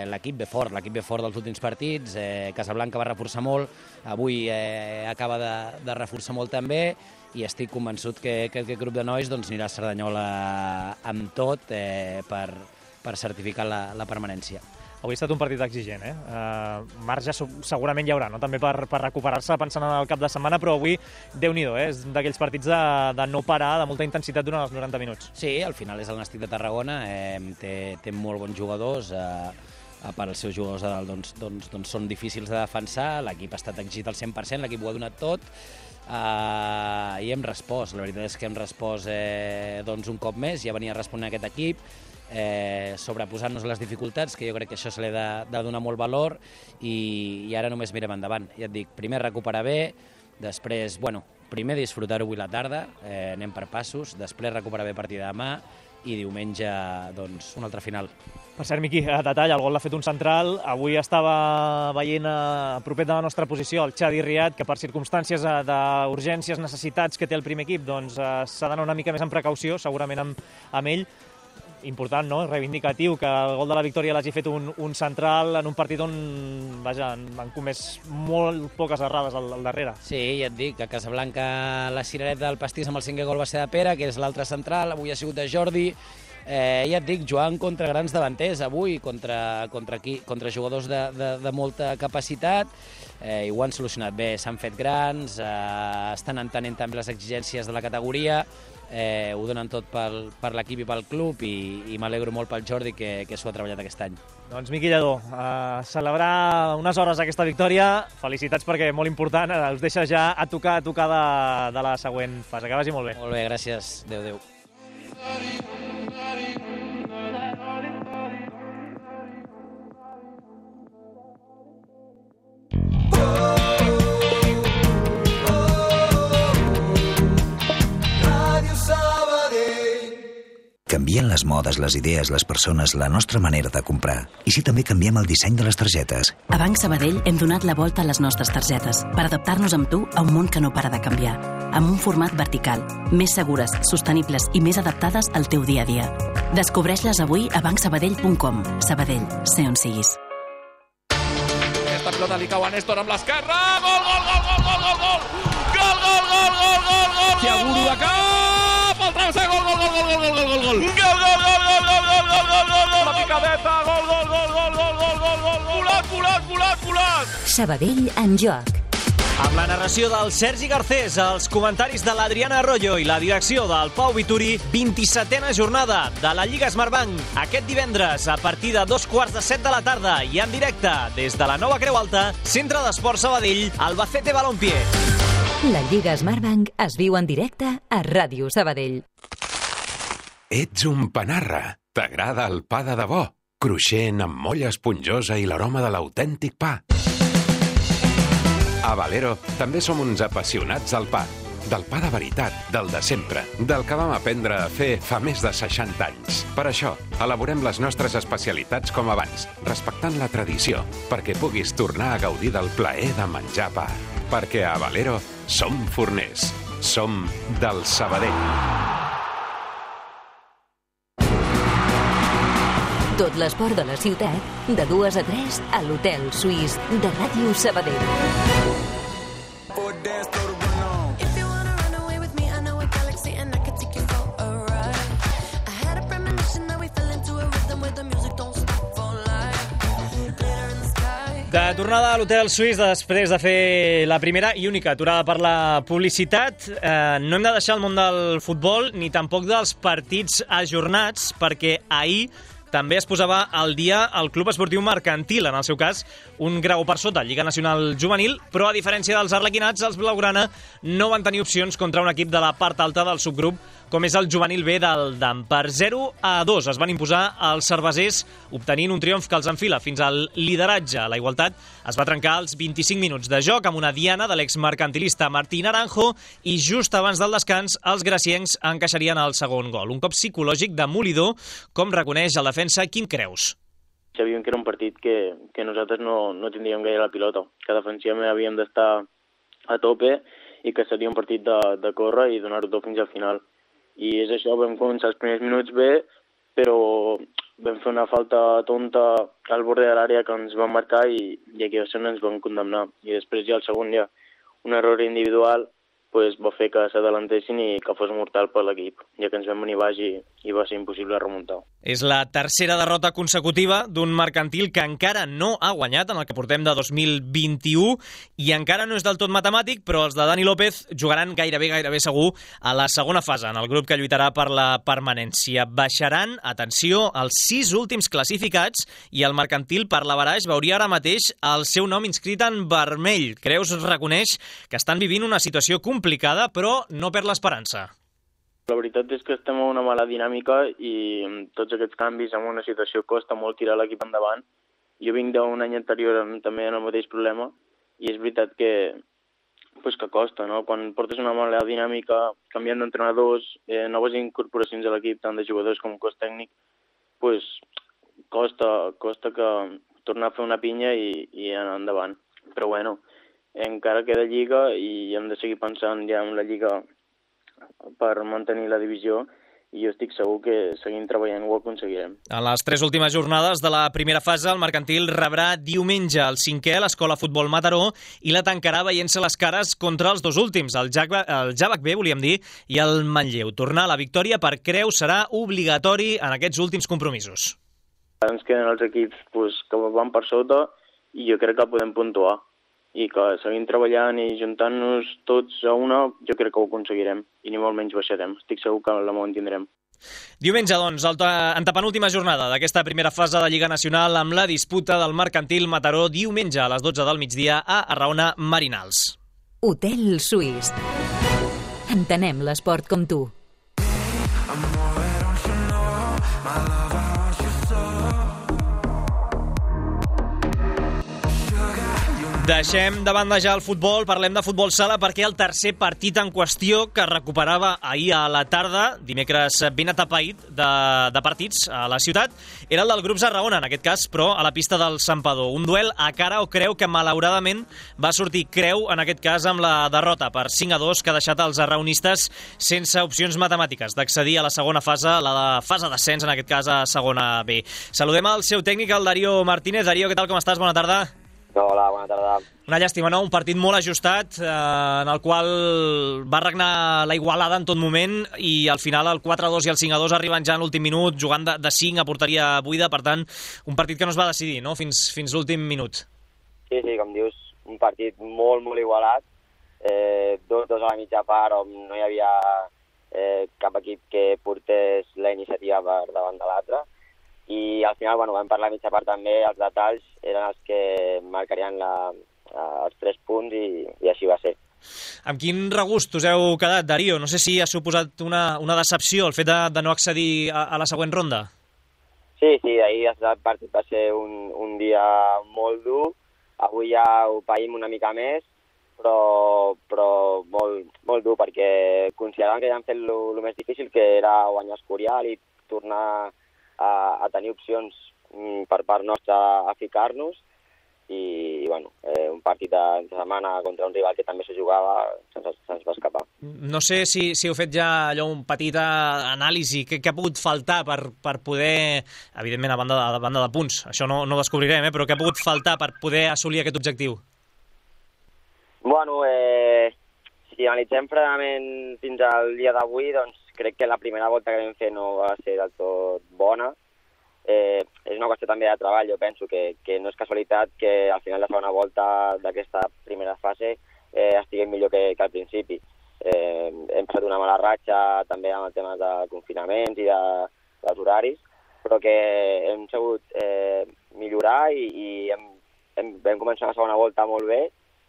L'equip ve fort dels últims partits, Casablanca va reforçar molt, avui acaba de reforçar molt també, i estic convençut que aquest grup de nois doncs, anirà a Cerdanyola amb tot per certificar la permanència. Avui ha estat un partit exigent, marge segurament hi haurà, no?, també per recuperar-se pensant en el cap de setmana, però avui, Déu-n'hi-do, és d'aquells partits de no parar, de molta intensitat durant els 90 minuts. Sí, al final és el Nàstic de Tarragona, té molt bons jugadors, a part els seus jugadors de dalt doncs són difícils de defensar, l'equip ha estat exigit al 100%, l'equip ho ha donat tot, i hem respost, la veritat és que hem respost un cop més, ja venia responent aquest equip, sobreposant-nos les dificultats, que jo crec que això se li ha de donar molt valor, i ara només mirem endavant. Ja et dic, primer recuperar bé, després, primer disfrutar-ho avui la tarda, anem per passos, després recuperar bé a partir de demà, i diumenge doncs, una altra final. Per cert, Miqui, a detall, el gol l'ha fet un central. Avui estava veient propet de la nostra posició el Xavi Riad, que per circumstàncies d'urgències, necessitats que té el primer equip, doncs s'ha d'anar una mica més en precaució, segurament amb ell. Important, no? Reivindicatiu, que el gol de la victòria l'hagi fet un central en un partit on, vaja, han comès molt poques errades al darrere. Sí, ja et dic, a Casablanca la cirereta del pastís amb el 5è gol va ser de Pere, que és l'altre central, avui ha sigut de Jordi. Ja et dic, jugant contra grans davanters avui, contra jugadors de molta capacitat, i ho han solucionat bé, s'han fet grans, estan entenent també les exigències de la categoria, ho donen tot per l'equip i pel club, i m'alegro molt pel Jordi que s'ho ha treballat aquest any. Doncs Miqui Lledó, celebrar unes hores aquesta victòria, felicitats perquè molt important, us deixa ja a tocar de la següent fase, que vagi molt bé. Molt bé, gràcies, adéu. Canvien les modes, les idees, les persones, la nostra manera de comprar. I si també canviem el disseny de les targetes? A Banc Sabadell hem donat la volta a les nostres targetes per adaptar-nos amb tu a un món que no para de canviar. Amb un format vertical, més segures, sostenibles i més adaptades al teu dia a dia. Descobreix-les avui a bancsabadell.com. Sabadell, sé on siguis. Aquesta pilota li cau a Néstor amb l'esquerra. Gol, gol, gol, gol, gol, gol, gol! Gol, gol, gol, gol, gol, gol! Tiaguro de cap! El travesser, gol, gol, gol, gol, gol, gol, gol, gol! Gol, gol, gol, gol, gol, gol, gol, gol, gol, gol! La picadeta, gol, gol, gol, gol, gol, gol, gol, gol! Volat, volat, volat, volat! Sabadell en joc. Amb la narració del Sergi Garcés, els comentaris de l'Adriana Arroyo i la direcció del Pau Vituri, 27a jornada de la Lliga Smartbank. Aquest divendres, a partir de 7:15 de la tarda i en directe des de la Nova Creu Alta, Centre d'Esport Sabadell, Albacete Balompié. La Lliga Smartbank es viu en directe a Ràdio Sabadell. Ets un panarra. T'agrada el pa de debò? Cruixent, amb molla esponjosa i l'aroma de l'autèntic pa. A Valero també som uns apassionats del pa. Del pa de veritat, del de sempre, del que vam aprendre a fer fa més de 60 anys. Per això, elaborem les nostres especialitats com abans, respectant la tradició, perquè puguis tornar a gaudir del plaer de menjar pa. Perquè a Valero som forners. Som del Sabadell. Tot l'esport de la ciutat, de 2 a 3 a l'Hotel Suís de Ràdio Sabadell. De tornada a l'Hotel Suís després de fer la primera i única aturada per la publicitat. No hem de deixar el món del futbol ni tampoc dels partits ajornats, perquè ahir també es posava al dia el Club Esportiu Mercantil, en el seu cas un grau per sota, Lliga Nacional Juvenil, però a diferència dels arlequinats, els blaugrana no van tenir opcions contra un equip de la part alta del subgrup, com és el Juvenil B del DAM. Per 0-2 es van imposar els cervesers, obtenint un triomf que els enfila fins al lideratge. La igualtat es va trencar als 25 minuts de joc amb una diana de l'exmercantilista Martí Naranjo i just abans del descans els graciencs encaixarien el segon gol. Un cop psicològic demolidor, com reconeix el defensa Quim Creus. Sabíem que era un partit que nosaltres no tindríem gaire la pilota, que defensivament havíem d'estar a tope i que seria un partit de córrer i donar-ho tot fins al final. I és això, vam començar els primers minuts bé, però vam fer una falta tonta al borde de l'àrea que ens van marcar i aquí ens van condemnar. I després ja el segon ja un error individual va fer que s'adelantessin i que fos mortal per l'equip, ja que ens vam venir baix i va ser impossible remuntar. És la tercera derrota consecutiva d'un mercantil que encara no ha guanyat en el que portem de 2021 i encara no és del tot matemàtic, però els de Dani López jugaran gairebé segur a la segona fase, en el grup que lluitarà per la permanència. Baixaran, atenció, els 6 últims classificats i el mercantil per l'averaix veuria ara mateix el seu nom inscrit en vermell. Creus reconeix que estan vivint una situació complicada, però no perd l'esperança. La veritat és que estem en una mala dinàmica i amb tots aquests canvis en una situació costa molt tirar l'equip endavant. Jo vinc d'un any anterior també en el mateix problema i és veritat que que costa, no? Quan portes una mala dinàmica, canviant d'entrenadors, noves incorporacions a l'equip, tant de jugadors com cos tècnic, pues, costa que tornar a fer una pinya i anar endavant. Però bueno, encara queda Lliga i hem de seguir pensant ja en la Lliga per mantenir la divisió i jo estic segur que seguint treballant ho aconseguirem. En les 3 últimes jornades de la primera fase, el Mercantil rebrà diumenge el 5è, l'Escola Futbol Mataró, i la tancarà veient-se les cares contra els 2 últims, el Javac B, volíem dir, i el Manlleu. Tornar a la victòria per Creu serà obligatori en aquests últims compromisos. Ens queden els equips que van per sota i jo crec que podem puntuar. I que seguint treballant i juntant-nos tots a una, jo crec que ho aconseguirem i ni molt menys baixarem. Estic segur que la mantindrem. Diumenge, doncs, antepenúltima jornada d'aquesta primera fase de Lliga Nacional amb la disputa del Mercantil Mataró diumenge a les 12 del migdia a Arraona Marinals. Hotel Suís. Entenem l'esport com tu. Deixem de banda ja el futbol, parlem de futbol sala perquè el tercer partit en qüestió que recuperava ahir a la tarda, dimecres ben atapeït de partits a la ciutat, era el del grup Arraona, en aquest cas, però a la pista del Santpedor. Un duel a cara o creu que malauradament va sortir Creu, en aquest cas amb la derrota per 5-2 que ha deixat els arraonistes sense opcions matemàtiques d'accedir a la segona fase, la fase d'ascens, en aquest cas a segona B. Saludem al seu tècnic, el Darío Martínez. Darío, què tal, com estàs? Bona tarda. Hola, bona tarda. Una llàstima, no? Un partit molt ajustat, en el qual va regnar la igualada en tot moment i al final el 4-2 i el 5-2 arriben ja en l'últim minut, jugant de 5 a porteria buida, per tant, un partit que no es va decidir, no?, fins l'últim minut. Sí, com dius, un partit molt, molt igualat, 2-2 a la mitja part on no hi havia cap equip que portés la iniciativa per davant de l'altre. I al final, vam parlar a mitja part també, els detalls eren els que marcarien els 3 punts i així va ser. Amb quin regust us heu quedat, Darío? No sé si ha suposat una decepció el fet de no accedir a la següent ronda. Sí, ahir el partit va ser un dia molt dur, avui ja ho païm una mica més, però molt, molt dur, perquè consideràvem que ja hem fet el més difícil, que era guanyar Escorial i tornar a tenir opcions per part nostra a ficar-nos i un partit de setmana contra un rival que també s'ho jugava se'ns va escapar. No sé si heu fet ja allò un petit anàlisi, què ha pogut faltar per poder, evidentment a banda de punts, això no descobrirem, però què ha pogut faltar per poder assolir aquest objectiu? Si analitzem fredament fins al dia d'avui, doncs crec que la primera volta que vam fer no va ser del tot bona. És una qüestió també de treball, jo penso que no és casualitat que al final de la segona volta d'aquesta primera fase estiguem millor que al principi. Hem passat una mala ratxa també amb el tema de confinaments i dels horaris, però que hem sabut millorar i vam començar la segona volta molt bé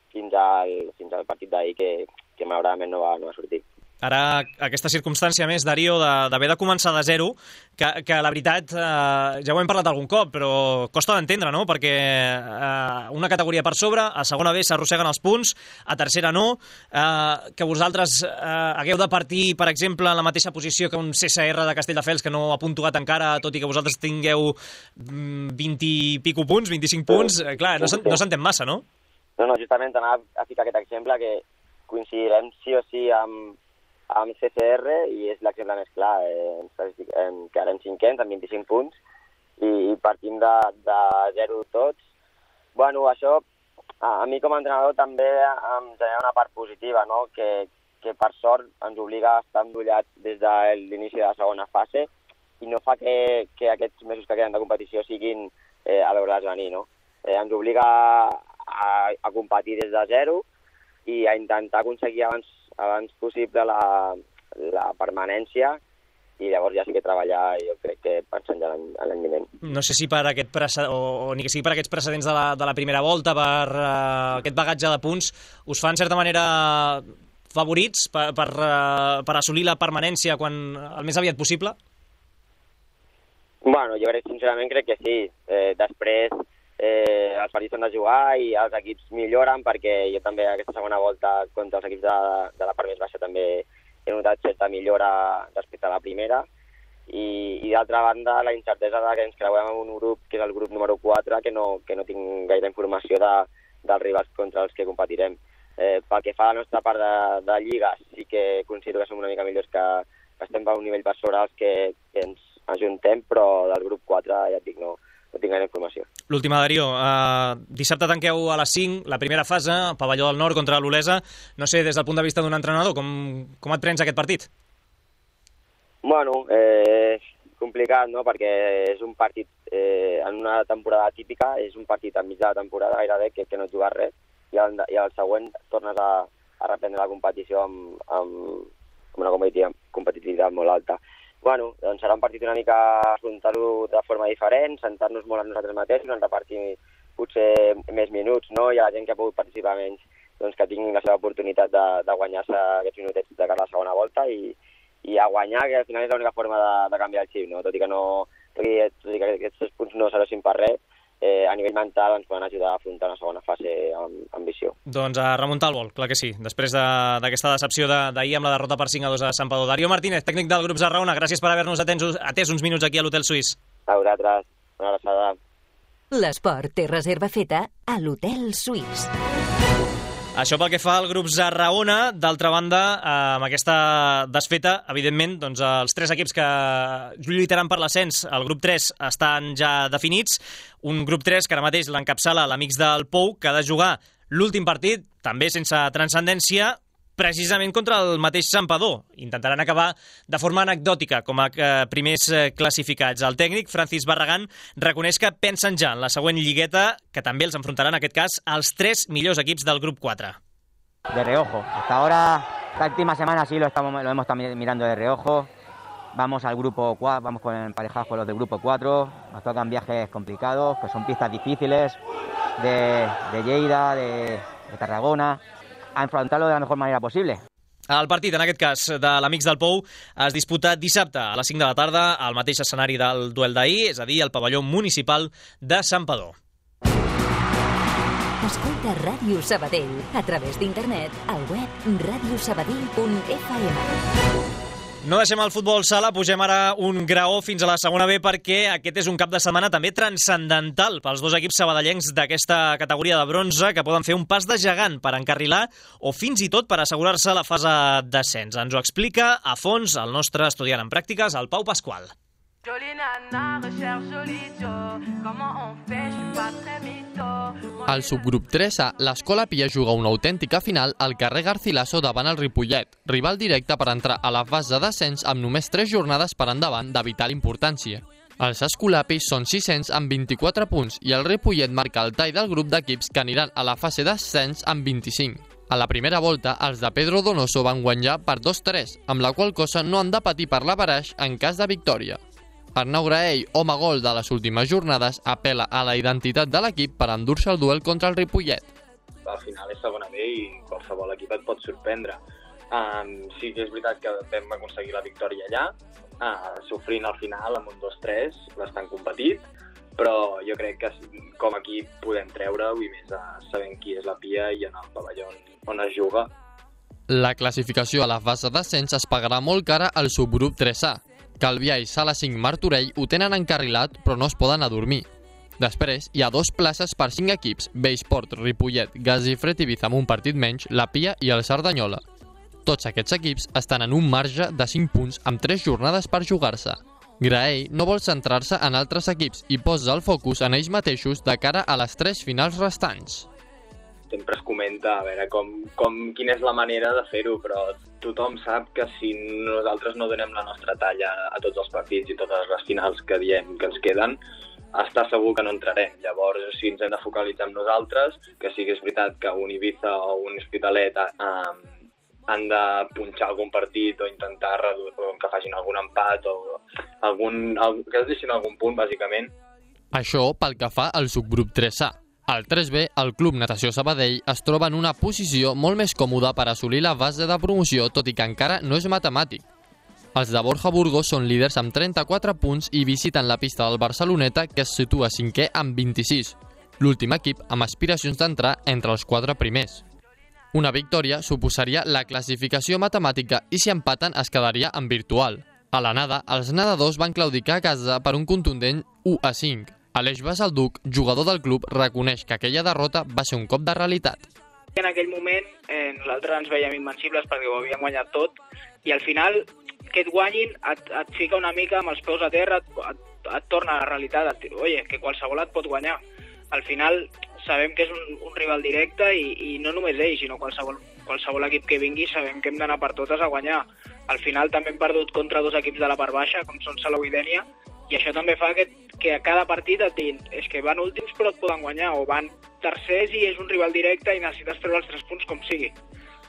fins al partit d'ahir que malauradament no va sortir. Ara, aquesta circumstància més, Darío, d'haver de començar de zero, que la veritat, ja ho hem parlat algun cop, però costa d'entendre, no? Perquè una categoria per sobre, a segona B s'arrosseguen els punts, a tercera no, que vosaltres hagueu de partir, per exemple, en la mateixa posició que un CSR de Castelldefels, que no ha puntuat encara, tot i que vosaltres tingueu 20 i pico punts, 25 punts, clar, no s'entén massa, no? No, justament anava a ficar aquest exemple que coincidirem sí o sí amb CCR i és l'exemple més clar. Quedarem 5ens amb 25 punts i partim de zero tots. Això a mi com a entrenador també em genera una part positiva, no? Que per sort ens obliga a estar endollats des de l'inici de la segona fase i no fa que aquests mesos que queden de competició siguin a veure'ls venir, no? Ens obliga a competir des de zero i a intentar aconseguir abans possible la permanència i llavors ja sí que treballar, jo crec que pensant ja l'any vinent. No sé si per aquest o ni que sigui per aquests precedents de la primera volta, per aquest bagatge de punts, us fa en certa manera favorits per assolir la permanència el més aviat possible? Jo sincerament crec que sí. Després, els partits són de jugar i els equips milloren, perquè jo també aquesta segona volta contra els equips de la part més baixa també he notat certa millora respecte a la primera. I d'altra banda, la incertesa que ens creuem en un grup, que és el grup número 4, que no tinc gaire informació dels rivals contra els que competirem. Pel que fa a la nostra part de lliga, sí que considero que som una mica millors, que estem per un nivell per sobre els que ens ajuntem, però del grup 4, ja et dic, no tinc gaire informació. L'última, Darío. Dissabte tanqueu a les 5 la primera fase, Pavelló del Nord contra l'Olesa. No sé, des del punt de vista d'un entrenador, com et prens aquest partit? Bueno, complicat, no?, perquè és un partit en una temporada típica, és un partit enmig de la temporada gairebé que no et jugues res, i al següent tornes a reprendre la competició amb una competitivitat molt alta. Bueno, doncs serà un partit una mica afrontar-ho de forma diferent, sentar-nos molt a nosaltres mateixos, en repartir potser més minuts, no? I a la gent que ha pogut participar menys, doncs que tinguin la seva oportunitat de guanyar-se aquests minutets de cara a la segona volta i a guanyar, que al final és l'única forma de canviar el xip, no? Tot i que aquests 3 punts no serveixin per res, a nivell mental ens poden ajudar a afrontar una segona fase amb ambició. Doncs a remuntar el vol, clar que sí, després d'aquesta decepció d'ahir amb la derrota per 5-2 a Santpedor. Darío Martínez, tècnic del grup Zarraona, gràcies per haver-nos atès uns minuts aquí a l'Hotel Suís. A vosaltres, una abraçada. L'esport té reserva feta a l'Hotel Suís. Això pel que fa al grup Zarraona. D'altra banda, amb aquesta desfeta, evidentment, doncs els 3 equips que lluitaran per l'ascens al grup 3 estan ja definits. Un grup 3 que ara mateix l'encapçala l'Amics del Pou, que ha de jugar l'últim partit, també sense transcendència, precisament contra el mateix Santpedor. Intentaran acabar de forma anecdòtica com a primers classificats. El tècnic, Francis Barragán, reconeix que pensen ja en la següent lligueta, que també els enfrontarà en aquest cas els 3 millors equips del grup 4. De reojo. Hasta ahora, esta última semana sí lo hemos estado mirando de reojo. Vamos al grupo 4, vamos emparejados con los del grupo 4. Nos tocan viajes complicados, que son pistas difíciles de Lleida, de Tarragona, a enfrontar-lo de la mejor manera possible. El partit, en aquest cas, de l'Amics del Pou, es disputa dissabte a les 5 de la tarda al mateix escenari del duel d'ahir, és a dir, al pavelló municipal de Santpedor. Escolta Ràdio Sabadell a través d'internet al web radiosabadell.fm. No deixem el futbol sala, pugem ara un graó fins a la segona B, perquè aquest és un cap de setmana també transcendental pels 2 equips sabadellencs d'aquesta categoria de bronze, que poden fer un pas de gegant per encarrilar o fins i tot per assegurar-se la fase d'ascens. Ens ho explica a fons el nostre estudiant en pràctiques, el Pau Pasqual. Al subgrup 3A, l'Escola Pia juga una autèntica final al carrer Garcilaso davant el Ripollet, rival directe per entrar a la fase d'ascens amb només 3 jornades per endavant de vital importància. Els escolapis són 600 amb 24 punts i el Ripollet marca el tall del grup d'equips que aniran a la fase d'ascens amb 25. A la primera volta, els de Pedro Donoso van guanyar per 2-3, amb la qual cosa no han de patir per l'averaix en cas de victòria. Arnau Graell, home gol de les últimes jornades, apela a la identitat de l'equip per endur-se el duel contra el Ripollet. Al final és segona B i qualsevol equip et pot sorprendre. Sí que és veritat que vam aconseguir la victòria allà, sofrint al final amb un 2-3, bastant competit, però jo crec que com a equip podem treure-ho i més sabent qui és la Pia i en el pavelló on es juga. La classificació a la fase d'ascens es pagarà molt cara al subgrup 3A. Calvià i Sala 5 Martorell ho tenen encarrilat, però no es poden adormir. Després, hi ha 2 places per 5 equips, Bellsport, Ripollet, Gas i Fred Ibiza amb un partit menys, la Pia i el Cerdanyola. Tots aquests equips estan en un marge de 5 punts amb 3 jornades per jugar-se. Graell no vol centrar-se en altres equips i posa el focus en ells mateixos de cara a les 3 finals restants. Sempre es comenta a veure quina és la manera de fer-ho, però tothom sap que si nosaltres no donem la nostra talla a tots els partits i totes les finals que diem que ens queden, està segur que no entrarem. Llavors, si ens hem de focalitzar en nosaltres, que sí que és veritat que un Ibiza o un Hospitalet han de punxar algun partit o intentar que facin algun empat o que es deixin algun punt, bàsicament. Això pel que fa al subgrup 3A. Al 3B, el Club Natació Sabadell es troba en una posició molt més còmoda per assolir la fase de promoció, tot i que encara no és matemàtic. Els de Borja Burgos són líders amb 34 punts i visiten la pista del Barceloneta, que es situa 5è amb 26. l'últim equip amb aspiracions d'entrar entre els 4 primers. Una victòria suposaria la classificació matemàtica i si empaten es quedaria en virtual. A la nada, els nedadors van claudicar a casa per un contundent 1-5. Aleix Basalduc, jugador del club, reconeix que aquella derrota va ser un cop de realitat. En aquell moment nosaltres ens veiem invencibles perquè ho havíem guanyat tot i al final que et guanyin et fica una mica amb els peus a terra, et torna a la realitat, que qualsevol et pot guanyar. Al final sabem que és un rival directe i no només ell, sinó qualsevol equip que vingui sabem que hem d'anar per totes a guanyar. Al final també hem perdut contra 2 equips de la part baixa, com són Salou i Dénia, i això també fa que a cada partit et diguin és que van últims però et poden guanyar, o van tercers i és un rival directe i necessites treure els 3 punts com sigui.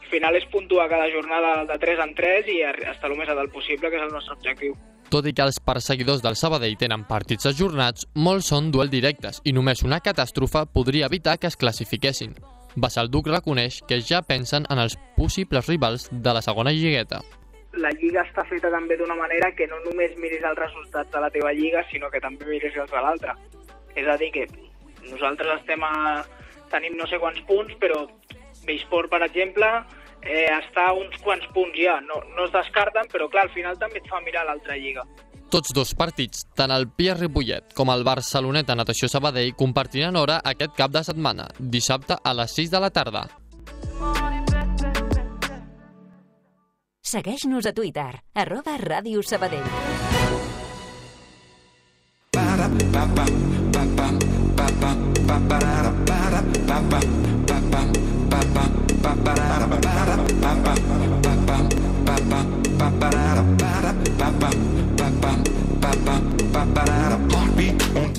Al final és puntuar cada jornada de 3 en 3 i estar el més a dalt possible, que és el nostre objectiu. Tot i que els perseguidors del Sabadell tenen partits ajornats, molts són duel directes i només una catàstrofe podria evitar que es classifiquessin. Basalduc reconeix que ja pensen en els possibles rivals de la segona lligueta. La lliga està feta també d'una manera que no només miris els resultats de la teva lliga, sinó que també miris els de l'altra. És a dir, que nosaltres tenim no sé quants punts, però Beisport, per exemple, està a uns quants punts ja. No es descarten, però clar, al final també et fa mirar l'altra lliga. Tots 2 partits, tant el Pia Ripollet com el Barceloneta Natació Sabadell, compartiran hora aquest cap de setmana, dissabte a les 6 de la tarda. Segueix-nos a Twitter, @Ràdio Sabadell.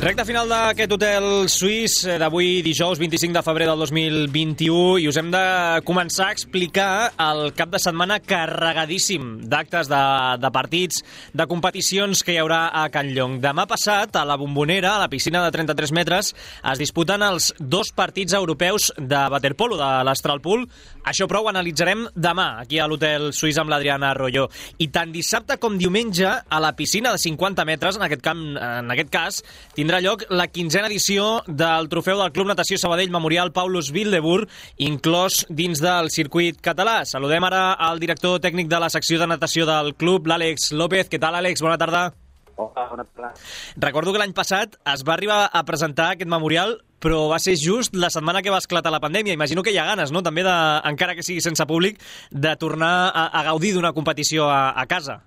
Recte final d'aquest hotel suís d'avui, dijous 25 de febrer del 2021, i us hem de començar a explicar el cap de setmana carregadíssim d'actes, de partits, de competicions que hi haurà a Can Llong. Demà passat, a la Bombonera, a la piscina de 33 metres, es disputen els 2 partits europeus de waterpolo, de l'Astralpool. Això, però, ho analitzarem demà, aquí a l'hotel suís amb l'Adriana Arroyo. I tant dissabte com diumenge, a la piscina de 50 metres, en aquest cas, tindrà lloc la 15a edició del trofeu del Club Natació Sabadell Memorial Paulus Wildeboer, inclòs dins del circuit català. Saludem ara al director tècnic de la secció de natació del club, l'Àlex López. Què tal, Àlex? Bona tarda. Hola, bona tarda. Recordo que l'any passat es va arribar a presentar aquest memorial, però va ser just la setmana que va esclatar la pandèmia. Imagino que hi ha ganes, no?, també, encara que sigui sense públic, de tornar a gaudir d'una competició a casa.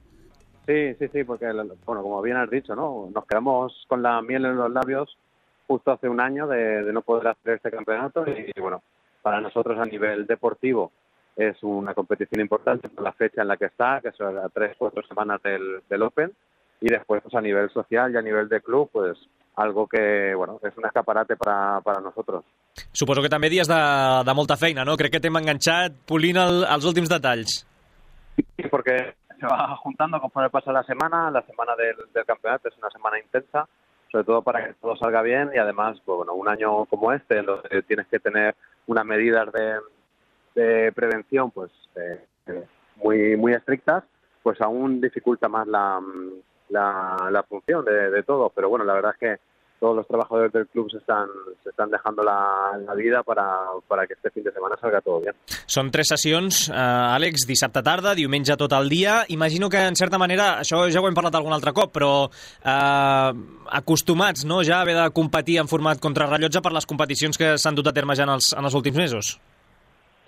Sí, porque, bueno, como bien has dicho, ¿no? Nos quedamos con la miel en los labios justo hace un año de no poder hacer este campeonato y, bueno, para nosotros a nivel deportivo es una competición importante por la fecha en la que está, que son a 3-4 semanas del Open, y después pues a nivel social y a nivel de club, pues algo que, bueno, es un escaparate para nosotros. Suposo que també dies de molta feina, no? Crec que t'hem enganxat polint els últims detalls. Sí, porque se va juntando conforme pasa la semana del campeonato es una semana intensa, sobre todo para que todo salga bien y además, pues, bueno, un año como este, en donde tienes que tener unas medidas de prevención pues muy estrictas, pues aún dificulta más la función de todo, pero bueno, la verdad es que todos los trabajadores del club se están dejando la vida para que este fin de semana salga todo bien. Són 3 sessions, Àlex, dissabte tarda, diumenge tot el dia. Imagino que, en certa manera, això ja ho hem parlat algun altre cop, però acostumats, no?, ja a haver de competir en format contrarrellotge per les competicions que s'han dut a terme ja en els últims mesos.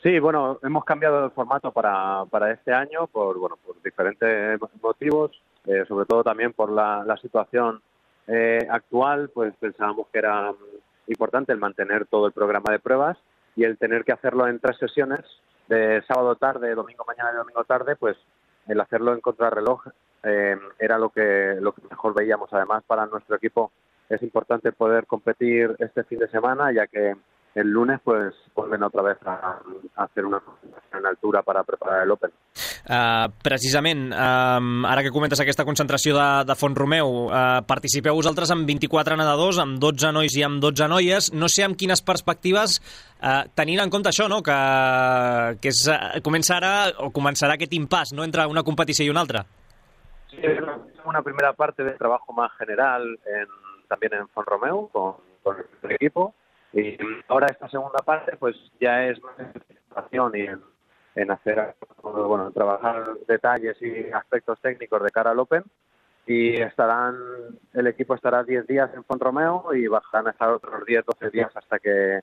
Sí, bueno, hemos cambiado el formato para este año por diferentes motivos, sobre todo también por la situación actual, pues pensábamos que era importante el mantener todo el programa de pruebas y el tener que hacerlo en 3 sesiones, de sábado tarde, domingo mañana y domingo tarde, pues el hacerlo en contrarreloj era lo que mejor veíamos. Además, para nuestro equipo es importante poder competir este fin de semana, ya que el lunes pues vuelven otra vez a hacer una concentración en altura para preparar el Open. Precisament, ara que comentes aquesta concentració de Font-romeu, participeu vosaltres amb 24 nedadors, amb 12 nois i amb 12 noies. No sé amb quines perspectives, tenint en compte això, no?, que començarà aquest impàs, no?, entre una competició i una altra. Sí, es una primera parte de trabajo más general también en Font-romeu con el equipo. Y ahora esta segunda parte pues ya es más en participación y en hacer, bueno, trabajar detalles y aspectos técnicos de cara al Open. Y el equipo estará 10 días en Font-Romeu y van a estar otros 10-12 días hasta que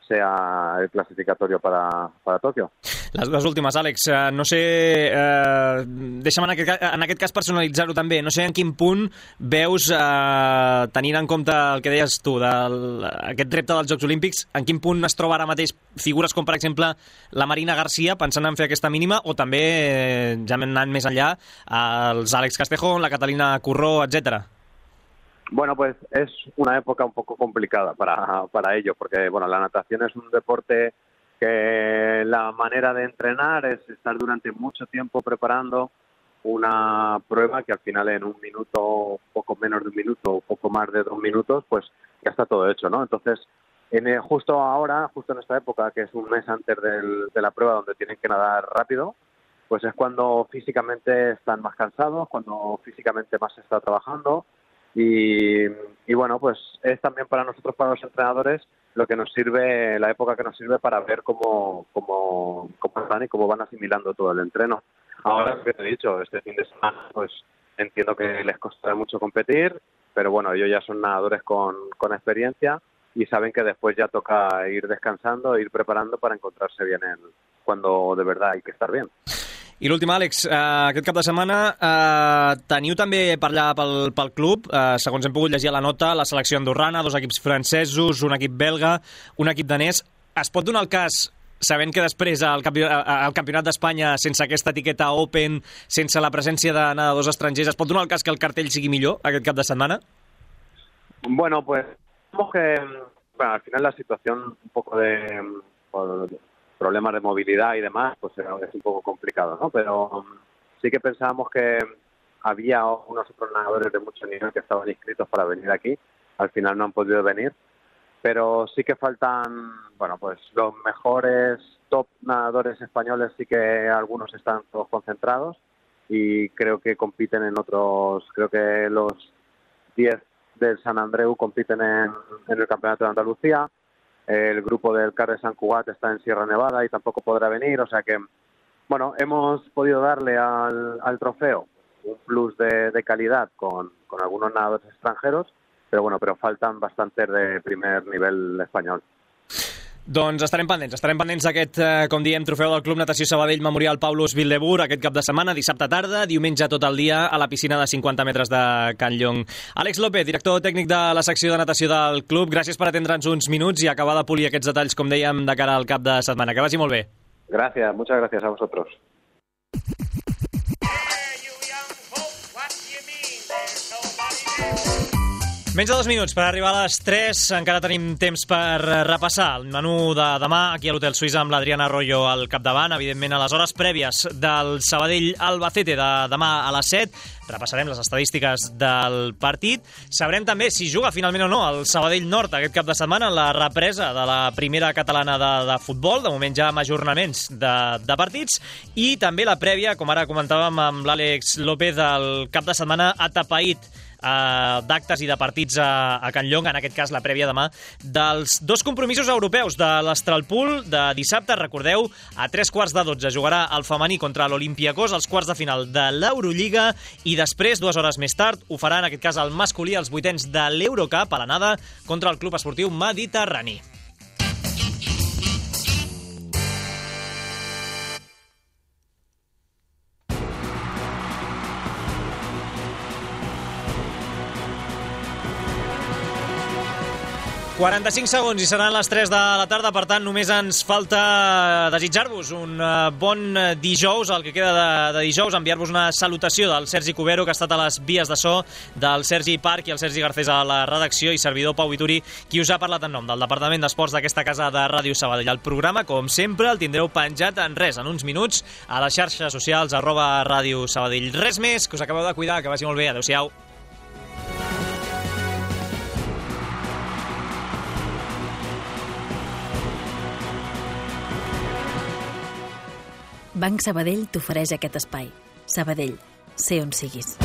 sea el clasificatorio para Tòquio. Les últimes, Àlex, no sé, deixa'm en aquest cas personalitzar-ho també, no sé en quin punt veus, tenint en compte el que deies tu, aquest repte dels Jocs Olímpics, en quin punt es troba ara mateix figures com, per exemple, la Marina García, pensant en fer aquesta mínima, o també, ja hem anat més enllà, els Àlex Castejón, la Catalina Curró, etcétera. Bueno, pues es una época un poco complicada para ello, porque bueno, la natación es un deporte que la manera de entrenar es estar durante mucho tiempo preparando una prueba que al final en un minuto, poco menos de un minuto o poco más de 2 minutos, pues ya está todo hecho, ¿no? Entonces, justo ahora, justo en esta época, que es un mes antes de la prueba donde tienen que nadar rápido, pues es cuando físicamente están más cansados, cuando físicamente más se está trabajando. Y bueno, pues es también para nosotros, para los entrenadores, lo que nos sirve, la época que nos sirve para ver cómo están y cómo van asimilando todo el entreno. Ahora, lo que te he dicho, este fin de semana, pues entiendo que les costará mucho competir, pero bueno, ellos ya son nadadores con experiencia y saben que después ya toca ir descansando, ir preparando para encontrarse bien cuando de verdad hay que estar bien. I l'últim, Àlex, aquest cap de setmana teniu també per allà pel club, segons hem pogut llegir a la nota, la selecció andorrana, 2 equips francesos, un equip belga, un equip danès. Es pot donar el cas, sabent que després el Campionat d'Espanya, sense aquesta etiqueta Open, sense la presència de nedadors estrangers, es pot donar el cas que el cartell sigui millor aquest cap de setmana? Bueno, pues al final la situación un poco de problemas de movilidad y demás, pues es un poco complicado, ¿no? Pero sí que pensábamos que había unos otros nadadores de mucho nivel que estaban inscritos para venir aquí. Al final no han podido venir, pero sí que faltan, bueno, pues los mejores top nadadores españoles, sí que algunos están todos concentrados y creo que compiten en otros, creo que los 10 del San Andreu compiten en el Campeonato de Andalucía. El grupo del CAR de Sant Cugat está en Sierra Nevada y tampoco podrá venir, o sea que, bueno, hemos podido darle al trofeo un plus de calidad con algunos nadadores extranjeros, pero faltan bastantes de primer nivel español. Doncs estarem pendents d'aquest, com diem, trofeu del Club Natació Sabadell Memorial Paulus Wildeboer aquest cap de setmana, dissabte tarda, diumenge tot el dia a la piscina de 50 metres de Can Llong. Àlex López, director tècnic de la secció de natació del club, gràcies per atendre'ns uns minuts i acabar de polir aquests detalls, com dèiem, de cara al cap de setmana. Que vagi molt bé. Gracias, muchas gracias a vosotros. Menys de 2 minuts per arribar a les 3. Encara tenim temps per repassar el menú de demà aquí a l'Hotel Suïssa amb l'Adriana Arroyo al capdavant. Evidentment, a les hores prèvies del Sabadell-Albacete de demà a les 7. Repassarem les estadístiques del partit. Sabrem també si juga finalment o no el Sabadell Nord aquest cap de setmana en la represa de la primera catalana de futbol. De moment ja amb ajornaments de partits. I també la prèvia, com ara comentàvem amb l'Àlex López, del cap de setmana atapeït d'actes i de partits a Can Llong, en aquest cas la prèvia demà, dels 2 compromisos europeus de l'Astralpool de dissabte. Recordeu, a 3:15 jugarà el femení contra l'Olympiacos, als quarts de final de l'Eurolliga, i després, 2 hores més tard, ho farà en aquest cas el masculí als 8ens de l'Eurocup a l'anada contra el Club Esportiu Mediterrani. – 45 segons i seran les 3 de la tarda, per tant només ens falta desitjar-vos un bon dijous, el que queda de dijous, enviar-vos una salutació del Sergi Cubero, que ha estat a les vies de so, del Sergi Parc i el Sergi Garcés a la redacció, i servidor Pau Vituri, qui us ha parlat en nom del Departament d'Esports d'aquesta casa de Ràdio Sabadell. El programa, com sempre, el tindreu penjat en uns minuts, a les xarxes socials @Ràdio Sabadell. Res més, que us acabeu de cuidar, que vagi molt bé, adeu-siau. Banc Sabadell t'ofereix aquest espai. Sabadell, sé on siguis.